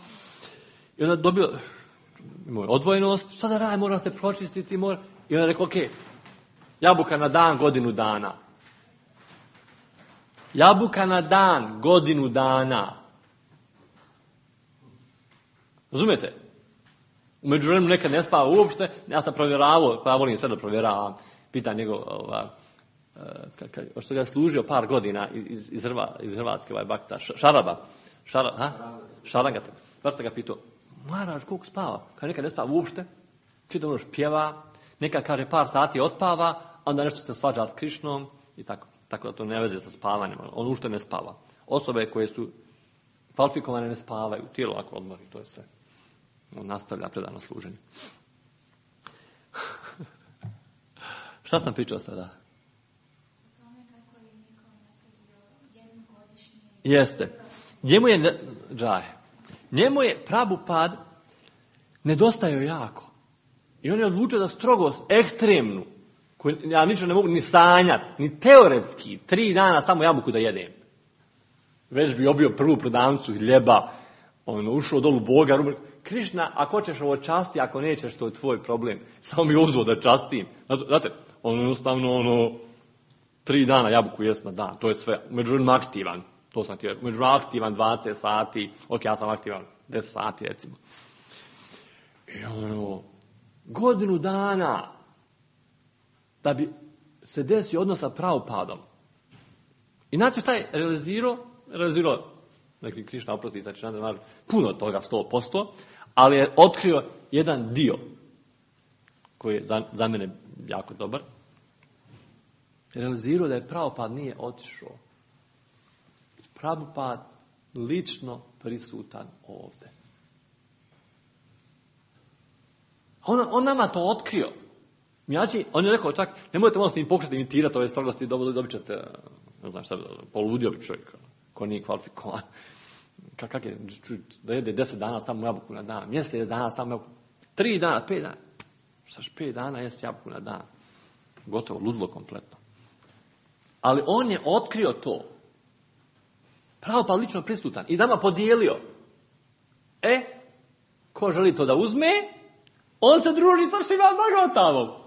I onda dobio odvojenost, šta da radim, mora se pročistiti, mora... I onda rekao, ok, jabuka na dan, godinu dana. Jabuka na dan, godinu dana. Razumijete? U međuvremenu nekad ne spava uopšte, ja sam provjeravao, pa ja volim sve da provjeravam, pitan njegov, ova, uh, što ga je služio par godina iz, iz, Hrva, iz Hrvatske, ovaj bakta, Šaraba, Šara, ha? Šarangata, baš sam ga pitao, Maharaj, koliko spava? Kad nekad ne spava uopšte, čitav noć pjeva, nekad kaže par sati otpava, onda nešto se svađa s Krišnom i tako. Tako da to ne veze sa spavanjem, on uopšte ne spava. Osobe koje su kvalifikovane ne spavaju, tijelo ako odmori, to je sve. On nastavlja predano služenje. Šta sam pričao sada? Jeste. Njemu je, džaj, njemu je Prabhupad nedostajao jako. I on je odlučio da strogost ekstremnu, koju ja ničem ne mogu ni sanjati, ni teoretski, tri dana samo jabuku da jedem. Već bi obio prvu prodavnicu hljeba, on ušao dolu Boga, rumor, Krišna, ako ćeš ovo časti, ako nećeš, to je tvoj problem. Samo mi uzvo da častim. Znate, on jednostavno, ono, tri dana jabuku jest na dan, to je sve. Međutim aktivan, to sam ti rekao, međutim aktivan dvadeset sati, ok, ja sam aktivan deset sati, recimo. I ono, godinu dana, da bi se desio odnos sa Prabhupadom. I znači šta je realizirao? Realizirao, neki Krišna oprosti, znači nadam, puno toga, sto posto, ali je otkrio jedan dio koji je za, za mene jako dobar. Realizirao da je Prabhupad nije otišao. Prabhupad lično prisutan ovdje. On, on nama to otkrio. Znači, on je rekao čak, nemojte možda s njim pokušati imitirati ove strogosti, dobit ćete, ne znam šta, poludio bi čovjek, ko nije kvalifikovan. Kak je, da jede deset dana samo jabuku na dan, mjesec dana samo jabuku, tri dana, pet dana, šta pet dana jesti jabuku na dan. Gotovo, ludilo kompletno. Ali on je otkrio to. Prabhupada lično prisutan i nama podijelio. E, ko želi to da uzme, on se druži sa Šrimad Bhagavatamom.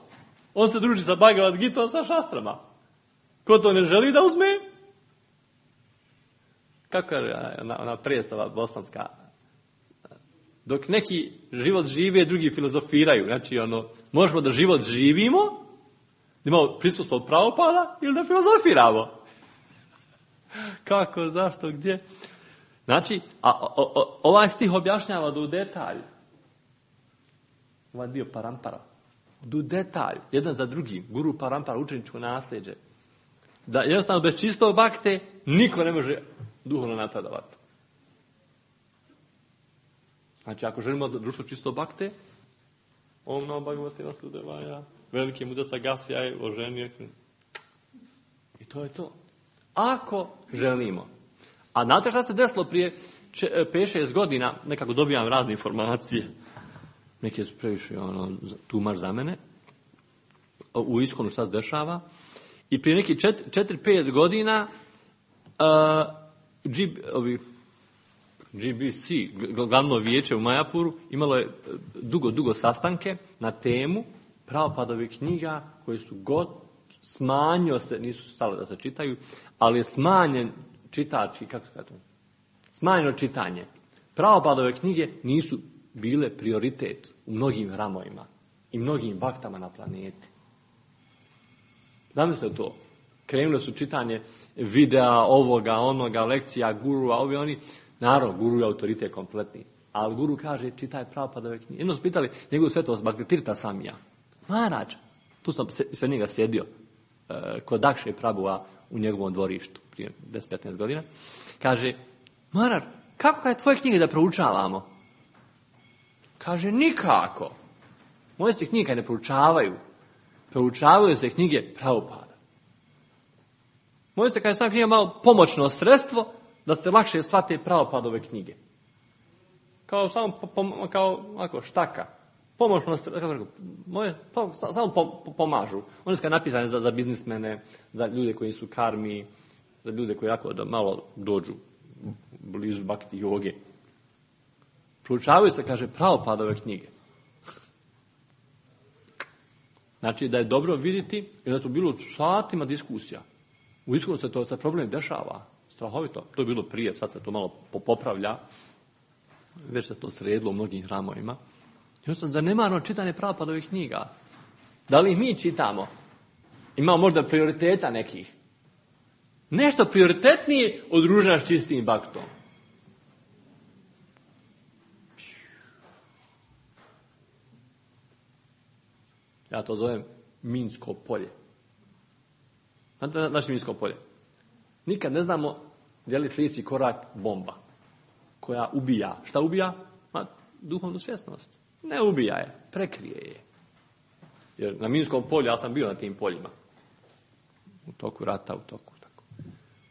On se druži sa Bhagavad Gitom, sa šastrama. Ko to ne želi da uzme? Kako je ona, ona predstava bosanska? Dok neki život žive, drugi filozofiraju. Znači, ono, možemo da život živimo, da imamo prisustvo od Prabhupada ili da filozofiramo. Kako, zašto, gdje? Znači, a, a, a, ovaj stih objašnjava do u detalj. Ovaj dio parampara. Do detalj, jedan za drugim. Guru parampara, učeničko nasljeđe. Da jednostavno bez čistog bakte niko ne može duhovno napredovati. Znači, ako želimo da društvo čisto bakte, Om Namo Bhagavate Vasudevaya, veliki mudrac Agasija je oženio. I to je to. Ako želimo. A znate šta se desilo prije pet šest godina, nekako dobijam razne informacije, neke su previše ono, tumač za mene, u Iskonu šta se dešava, i prije neki četiri pet godina uh, G, ovi, G B C, glavno vijeće u Majapuru, imalo je dugo, dugo sastanke na temu Prabhupadove knjiga koje su god smanjio se, nisu stale da se čitaju, ali je smanjen čitači, kako se kaže to? Smanjeno čitanje. Prabhupadove knjige nisu bile prioritet u mnogim hramovima i mnogim baktama na planeti. Znam se to. Krenule su čitanje videa, ovoga, onoga, lekcija, gurua, ovi oni. Naravno, guru je autoritet kompletni. Ali guru kaže, čitaj Prabhupadove knjige. Jedno su pitali njegovu svetost Bhaktitirtha Samija. Maharađ, tu sam sve njega sjedio, e, kod Dakše Prabhuva u njegovom dvorištu, prije deset petnaest godina. Kaže, Maharađ, kako je tvoje knjige da proučavamo? Kaže, nikako. Moje se knjige ne proučavaju. Proučavaju se knjige Prabhupada. Moje se, kaže, sam knjiga malo pomoćno sredstvo da se lakše shvate Prabhupadove knjige. Kao samo po, kao ako štaka. Pomoćno sredstvo, moje po, samo po, pomažu. One su napisane za, za biznismene, za ljude koji su karmi, za ljude koji jako da malo dođu blizu bhakti joge. Proučavaju se, kaže, Prabhupadove knjige. Znači da je dobro vidjeti, jer da to bilo satima diskusija. U Iskonu se to se problem dešava. Strahovito. To je bilo prije, sad se to malo popravlja. Već se to sredilo u mnogim hramovima. I sam zanemarno čitanje Prabhupadovih knjiga. Da li ih mi čitamo? Imamo možda prioriteta nekih. Nešto prioritetnije od druženja s čistim bhaktom. Ja to zovem minsko polje. Znate naše minsko polje? Nikad ne znamo gdje li sljedeći korak bomba koja ubija. Šta ubija? Ma, duhovnu svjesnost. Ne ubija je, prekrije je. Jer na minskom polju, ja sam bio na tim poljima. U toku rata, u toku. Tako.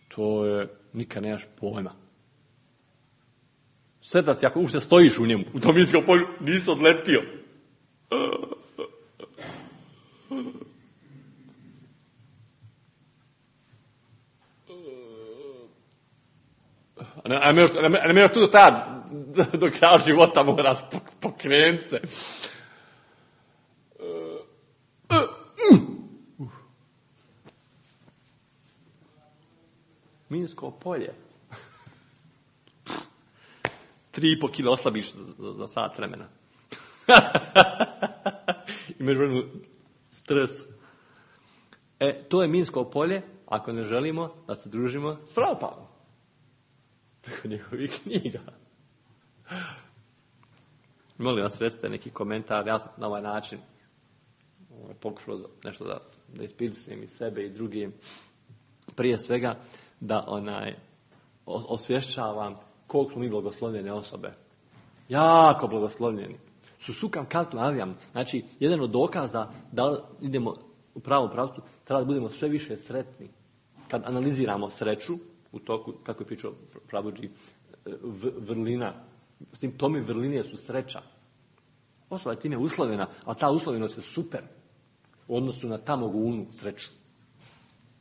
To je, nikad nemaš pojma. Sve da si, ako ušte stojiš u njemu, u tom minskom polju, nisi odletio. A ne, a ne, a ne možeš tu stajati do kraja života, moraš pokrenuti se. Minsko polje. Tri i po kilo oslabiš za, za sat vremena. Imaš vremenu stres. E, to je minsko polje ako ne želimo da se družimo s Prabhupadom. Preko njegovih knjiga. Molim vas, recite neki komentar. Ja sam na ovaj način pokušao nešto da, da ispitujem i sebe i drugim. Prije svega da onaj osvješćavam koliko smo mi blagoslovljene osobe. Jako blagoslovljeni. Susukam kartu navijam. Znači, jedan od dokaza da idemo u pravom pravcu, treba da budemo sve više sretni. Kad analiziramo sreću, u toku, kako je pričao Prabhuji, vrlina, simptomi vrline su sreća. Osoba je time uslovljena, a ta uslovljenost je super u odnosu na tamo gunu sreću.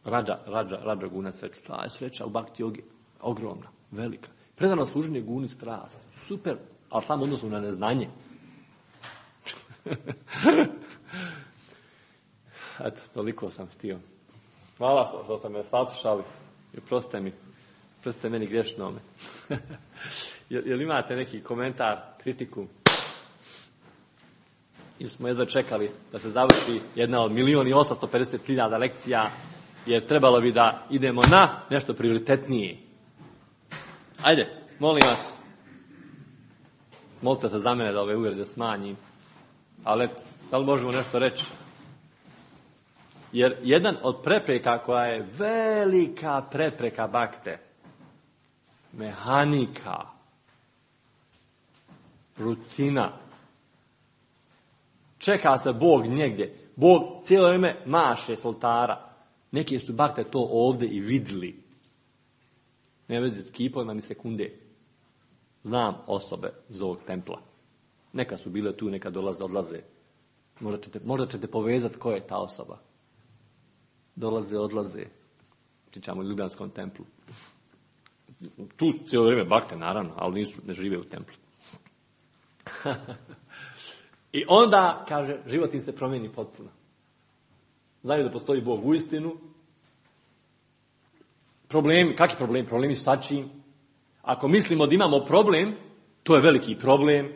Rađa, rađa, rađa guna sreću. Ta je sreća u bhakti jogi ogromna, velika. Predano služenje guni strast. Super, ali samo odnosu na neznanje. Eto, toliko sam htio. Hvala što ste me saslušali. I oprostite mi, oprostite meni grešnome. Jel, jel imate neki komentar, kritiku? Ili smo jedva čekali da se završi jedna od milijun i osamsto pedeset hiljada lekcija, jer trebalo bi da idemo na nešto prioritetnije. Ajde, molim vas, molite se za mene da ove uvrede smanjim, ali da li možemo nešto reći? Jer jedan od prepreka koja je velika prepreka bakte, mehanika, Rutina. Čeka se Bog negdje. Bog cijelo vrijeme maše s oltara. Neki su bakte to ovdje i vidjeli. Ne vezi s kipovima ni sekunde. Znam osobe iz ovog templa. Neka su bile tu, neka dolaze, odlaze. Možda ćete, možda ćete povezati ko je ta osoba. Dolaze, odlaze. Pričamo o Ljubljanskom templu. Tu su cijelo vrijeme bakte, naravno, ali nisu, ne žive u templu. I onda, kaže, život im se promijeni potpuno. Znaju da postoji Bog u istinu. Problemi, kakvi problemi? Problemi su sačim. Ako mislimo da imamo problem, to je veliki problem.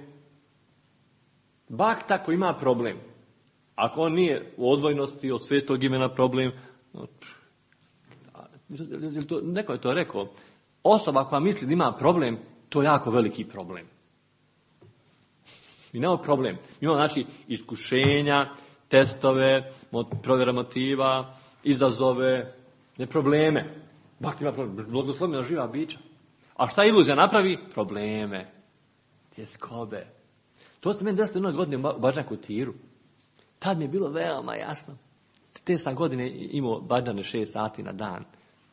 Bakta koji ima problem, ako on nije u odvojnosti od svetog imena problem, neko je to rekao, osoba koja misli da ima problem, to je jako veliki problem. I nemamo problem. Imamo znači iskušenja, testove, provjera motiva, izazove, ne probleme. Bakta ima problem, blagoslovljena živa bića. A šta iluzija napravi? Probleme, tjeskobe. To se meni desilo jednog godine u Badžanku Tiru. Tad mi je bilo veoma jasno. Te sam godine imao Badžane šest sati na dan.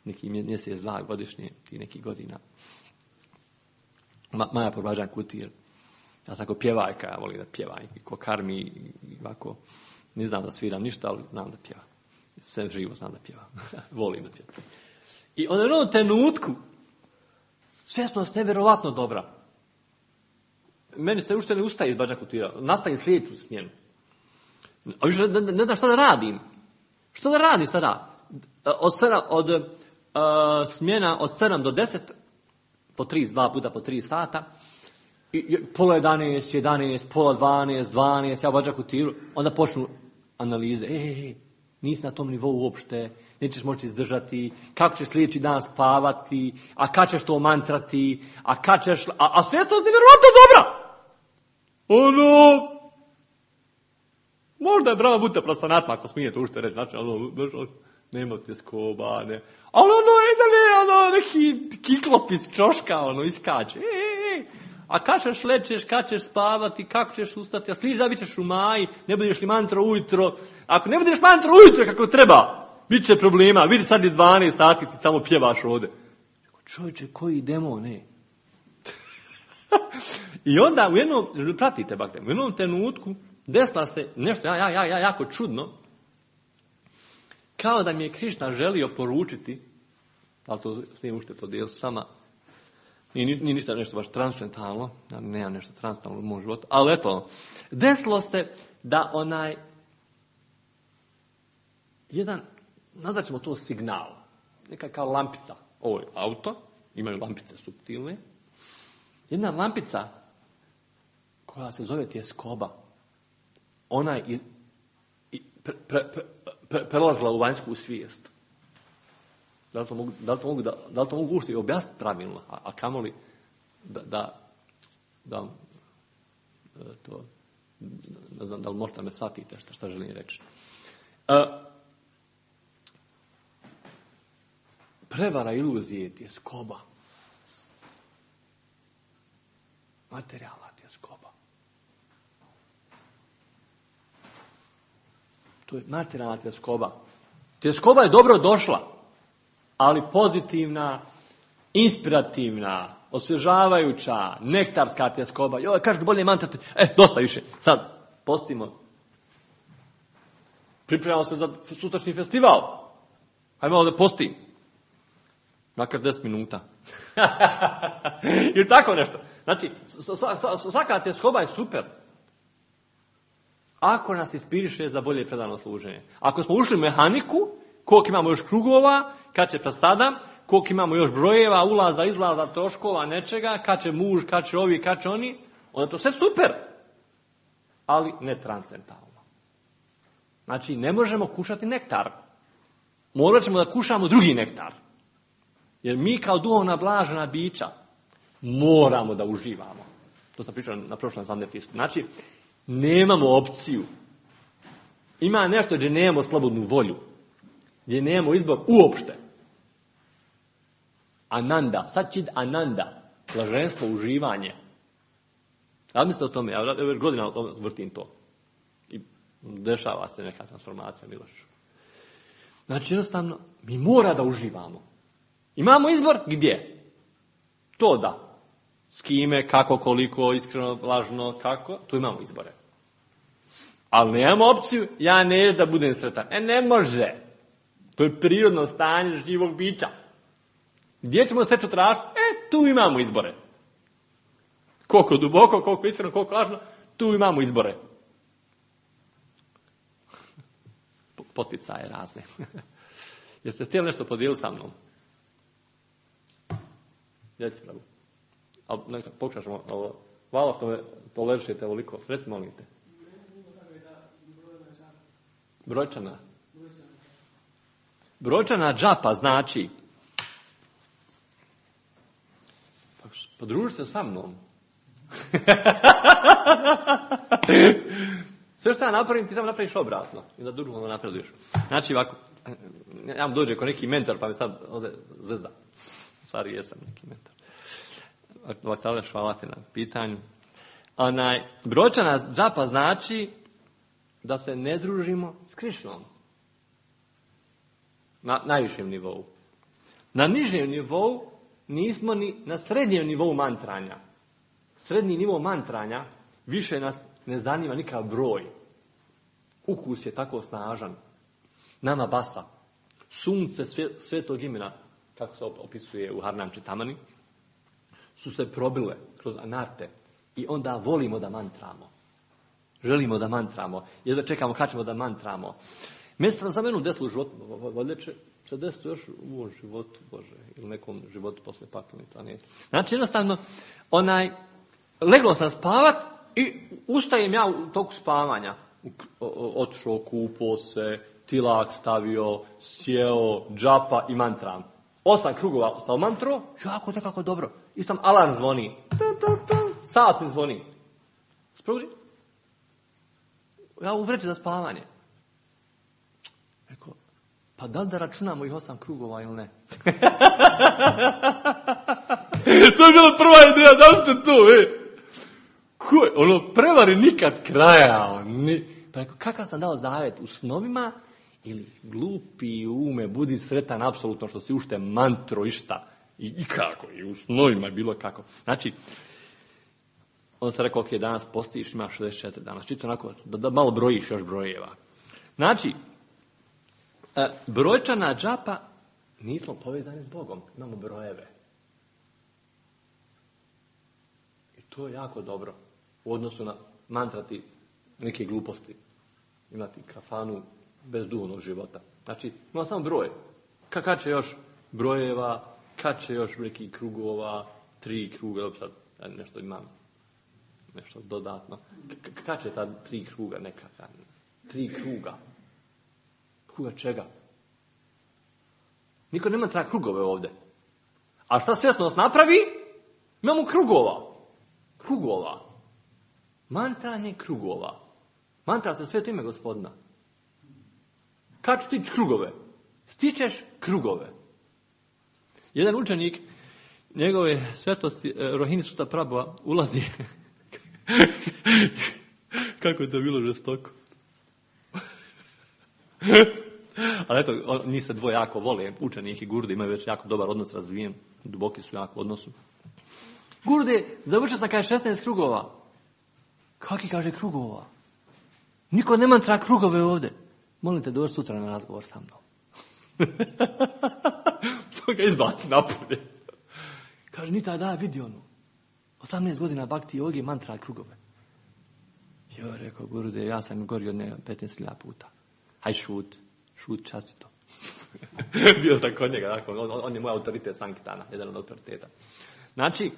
Neki mjesec, dva godišnje, ti neki godina. Ma, Maja po Badžanku Tiru. Ja sam ako pjevajka, ja volim da pjevaj. Ko karmi i ovako. Ne znam da sviram ništa, ali znam da pjevam. Sve živo znam da pjevam. Volim da pjevam. I onda u jednom trenutku svjesnost nevjerovatno dobra. Meni se ušte ne ustaje iz Badžanku Tira. Nastavim sljedeću smjenu. A više ne, ne znam šta da radim. Šta da radim sada? Od, sedam, od uh, smjena od sedam do deset, po tri, dva puta po tri sata, i, i, pola jedanaest, jedanaest, pola dvanaest, dvanaest, ja u Badžanku Tiru, onda počnu analize. E, e, e, nisi na tom nivou uopšte, nećeš moći izdržati, kako ćeš sljedeći dan spavati, a kad ćeš to mantrati, a kad ćeš... A, a svjesnost je vjerovatno dobra. Ono... Možda je brava buta prasanatma, ako smijete ušte reći, znači, ono, nema tjeskoba, ne. Ali ono, ide ne, ono, neki kiklop iz čoška, ono, iskače. E, e, e. A kad ćeš lečeš, kad ćeš spavati, kako ćeš ustati, a sližavit ćeš u maji, ne budeš li mantra ujutro. Ako ne budeš mantra ujutro kako treba, bit će problema. Vidi sad je dvanaest sati, ti samo pjevaš ovdje. Čovječe, koji demon, ne? I onda u jednom, pratite bakte, u jednom trenutku desila se nešto ja, ja, ja, jako čudno, kao da mi je Krišna želio poručiti, ali to smijem ušte podijeliti sama, nije, nije ništa nešto baš transcendentalno, ja nemam nešto transcendentalno u mom životu, ali eto, desilo se da onaj, jedan, nazvat ćemo to signal, neka kao lampica, ovo je auto, imaju lampice suptilne, jedna lampica koja se zove tjeskoba, ona je iz, pre, pre, pre, prelazila u vanjsku svijest. Da li to mogu, da li to mogu, da, da li to mogu ušte i objasniti pravilno, a, a kamoli da, da, da to, ne znam da li možete me shvatite šta, šta želim reći. E, prevara iluzije je tjeskoba. Materijalna tjeskoba. To je materijalna tjeskoba. Tjeskoba je dobro došla, ali pozitivna, inspirativna, osvježavajuća, nektarska tjeskoba. Joj, kažete bolje mantrate. E, dosta više. Sad, postimo. Pripremamo se za sutrašnji festival. Hajde malo da postim. Makar deset minuta. Ili tako nešto. Znači, svaka tjeskoba je super. Ako nas ispiriše za bolje predano služenje. Ako smo ušli u mehaniku, koliko imamo još krugova, kad će prasada, koliko imamo još brojeva, ulaza, izlaza, troškova, nečega, kad će muž, kad će ovi, kad će oni, onda to sve super. Ali ne transcendentalno. Znači, ne možemo kušati nektar. Morat ćemo da kušamo drugi nektar. Jer mi kao duhovna blažena bića moramo da uživamo. To sam pričao na prošlom zandetisku. Znači, nemamo opciju. Ima nešto gdje nemamo slobodnu volju. Gdje nemamo izbor uopšte. Ananda, sačid ananda, blaženstvo, uživanje. Ja mislim o tome, ja već godina vrtim to. I dešava se neka transformacija, Miloš. Znači, jednostavno, mi mora da uživamo. Imamo izbor gdje? To da. S kime, kako, koliko, iskreno, lažno, kako, tu imamo izbore. Ali nemamo opciju, ja neću da budem sretan. E, ne može. To je prirodno stanje živog bića. Gdje ćemo sreću tražiti? E, tu imamo izbore. Koliko duboko, koliko iskreno, koliko lažno, tu imamo izbore. Poticaje razne. Jeste htjeli nešto podijeliti sa mnom? Jesi pravu. Ali neka pokušaćemo ovo. Hvala što me tolerišete ovoliko. Reci, molim te. Brojčana. Brojčana džapa znači podruži se sa mnom. Sve što ja napravim, ti samo napraviš obratno. I da drugo napreduješ. Znači ovako, ja vam dođe ko neki mentor, pa mi sad ovdje zeza. U stvari jesam neki mentor. Ovako, hvala ti na pitanju. Onaj, brojčana džapa znači da se ne družimo s Krišnom. Na najvišem nivou. Na nižem nivou nismo ni na srednjem nivou mantranja. Srednji nivo mantranja više nas ne zanima nikakav broj. Ukus je tako snažan. Nama basa. Sunce svetog imena, kako se opisuje u Harnam Čitamani, su se probile kroz anarte i onda volimo da mantramo. Želimo da mantramo. Jedva čekamo kad ćemo da mantramo. Mjesto za menu desilo u životu, valjda će se desiti još u ovom životu, Bože, ili nekom životu posle pakleni planeti. Znači, jednostavno, onaj, leglo sam spavat i ustajem ja u toku spavanja. Otišao, kupao se, tilak stavio, sjeo, džapa i mantram. Osam krugova sa mantro, jako nekako dobro. I sam alarm zvoni. Sat mi zvoni. Sprudi? Ja u vreći za spavanje. Rekao, pa da li da računamo ih osam krugova ili ne? To je bila prva ideja, da li ste tu, e? Ko je? Ono, prevari nikad kraja. Ni... Pa rekao, kakav sam dao zavet u snovima ili glupi ume, budi sretan apsolutno što si ušte mantro i šta. I, i kako, i u snovima je bilo kako. Znači, onda sam rekao, ok, danas postiš, imaš šezdeset četiri dana. Čito onako, da, da malo brojiš još brojeva. Znači, e, brojčana džapa, nismo povezani s Bogom, imamo brojeve. I to je jako dobro. U odnosu na mantrati neke gluposti. Imati kafanu bez duhovnog života. Znači, ima samo broj. Kad će još brojeva, kad će još nekih krugova, tri kruga, sad ja nešto imam, nešto dodatno. Kad će ta tri kruga nekakva? Tri kruga. Kruga čega? Niko nema tra krugove ovdje. A šta svjesnost napravi? Imamo krugova. Krugova. Mantranje krugova. Mantra se sveto ime Gospodina. Kad ću stići krugove? Stičeš krugove. Jedan učenik njegove svetosti Rohini Suta Prabhupada ulazi. Kako je to bilo žestoko. Ali eto, njih se dvoje jako vole. Učenik i Gurde imaju već jako dobar odnos razvijen. Duboki su jako odnosu. Gurde, završio sam kaže šesnaest krugova. Kaki kaže krugova? Niko ne mantra krugove ovdje. Molim te doći sutra na razgovor sa mnom. To ga izbaci napolje. Kaže, ni taj da vidi ono. osamnaest godina bhakti jogi mantra krugove. Jo, rekao Gurde, ja sam gorio od njega petnaest hiljada puta. Haj šut, šut častito. Bio sam kod njega, dakle, on, on je moj autoritet Sankitana, jedan od autoriteta. Znači,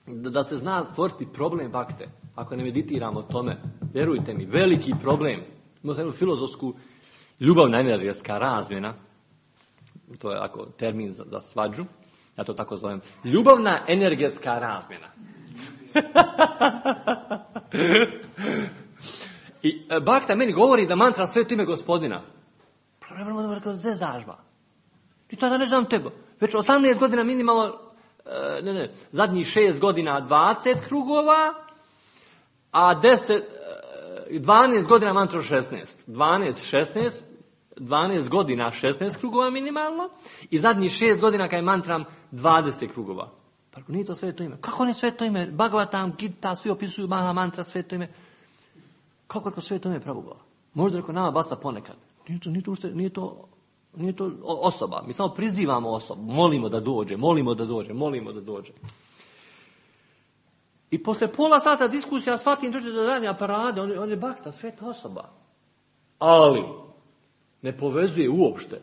da se zna stvoriti problem bakte, ako ne meditiramo o tome, vjerujte mi, veliki problem. Imamo sam jednu filozofsku ljubavna energetska razmjena, to je ako termin za, za svađu, ja to tako zovem, ljubavna energetska razmjena. I bakta meni govori da mantra sveto ime Gospodina. Zezažba. I tada ne znam tebe. Već osamnaest godina minimalno, ne, ne, zadnjih šest godina dvadeset krugova, a deset, dvanaest godina mantru šesnaest. dvanaest, šesnaest, dvanaest godina šesnaest krugova minimalno i zadnjih šest godina kad je mantram dvadeset krugova. Pa nije to sveto ime. Kako ne sveto ime? Bhagavatam, Gita, svi opisuju Maha mantra, sveto ime. Kako je to sveto ime Prabhupada? Možda rekao nama basa ponekad. Nije to, nije to, nije to, nije to osoba. Mi samo prizivamo osobu. Molimo da dođe, molimo da dođe, molimo da dođe. I posle pola sata diskusija shvatim dođe da radi aparade, on, on je bakta, sveta osoba. Ali ne povezuje uopšte.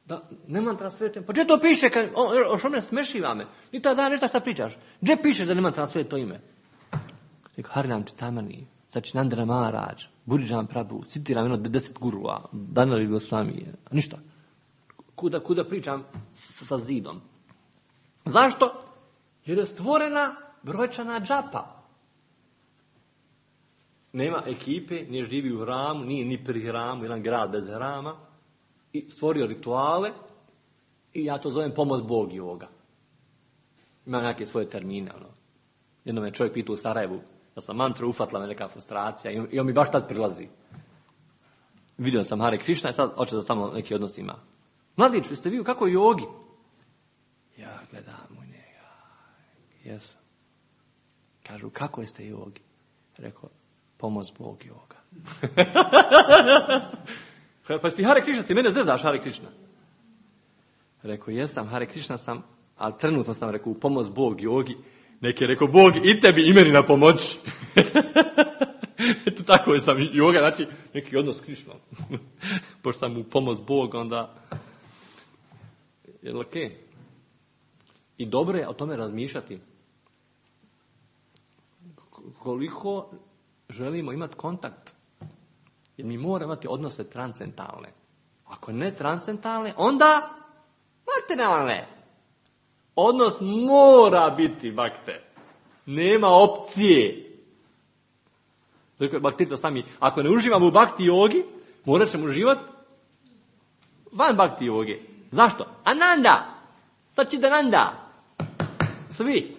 Da, ne mantra sveto ime. Pa gdje to piše? Kad, o, o što me smešiva me? Ni to da nešto šta pričaš. Gdje piše da ne mantra sveto ime? Rekao, Harinam Čitamani, znači Nandana Maharaj, Buridžan Prabhu, citiram jedno deset gurua, Danali Gosvami, ništa. Kuda, kuda pričam s, sa zidom. Zašto? Jer je stvorena brojčana džapa. Nema ekipe, nije živi u hramu, nije ni pri hramu, jedan grad bez hrama. I stvorio rituale i ja to zovem pomoć Bog i ovoga. Ima neke svoje termine. Ono. Jednom me čovjek pitao u Sarajevu da sam mantru ufatila me neka frustracija i on, i on mi baš tad prilazi. Vidio sam Hare Krishna i sad hoće da samo neki odnos ima. Mladić, jeste vi kako jogi? Ja gledam u njega. Jesam. Kažu, kako jeste jogi? Rekao, pomoć Bog i ovoga. Pa si Hare Krishna, ti mene zezaš Hare Krishna. Rekao, jesam, Hare Krishna sam, ali trenutno sam rekao, pomoć Bog jogi. Neki je rekao, Bog i tebi i meni na pomoć. Eto tako je sam joga, znači neki odnos s Krishnom. Pošto sam u pomoć Bog, onda je ok. I dobro je o tome razmišljati. Koliko želimo imati kontakt. Jer mi moramo imati odnose transcendentalne. Ako ne transcendentalne, onda materijalne. Odnos mora biti bakte. Nema opcije. Dakle, baktica sami, ako ne uživamo u bakti jogi, morat ćemo uživati van bakti jogi. Zašto? Ananda. Sačidananda. Svi.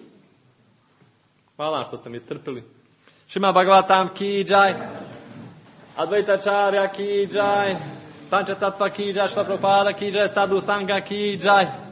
Hvala što ste mi strpili. Šima Bhagavatam ki jai. Advaita Charya ki jai. Pancha Tattva ki jai. Shila Prabhupada ki jai. Sadhu Sangha ki jai.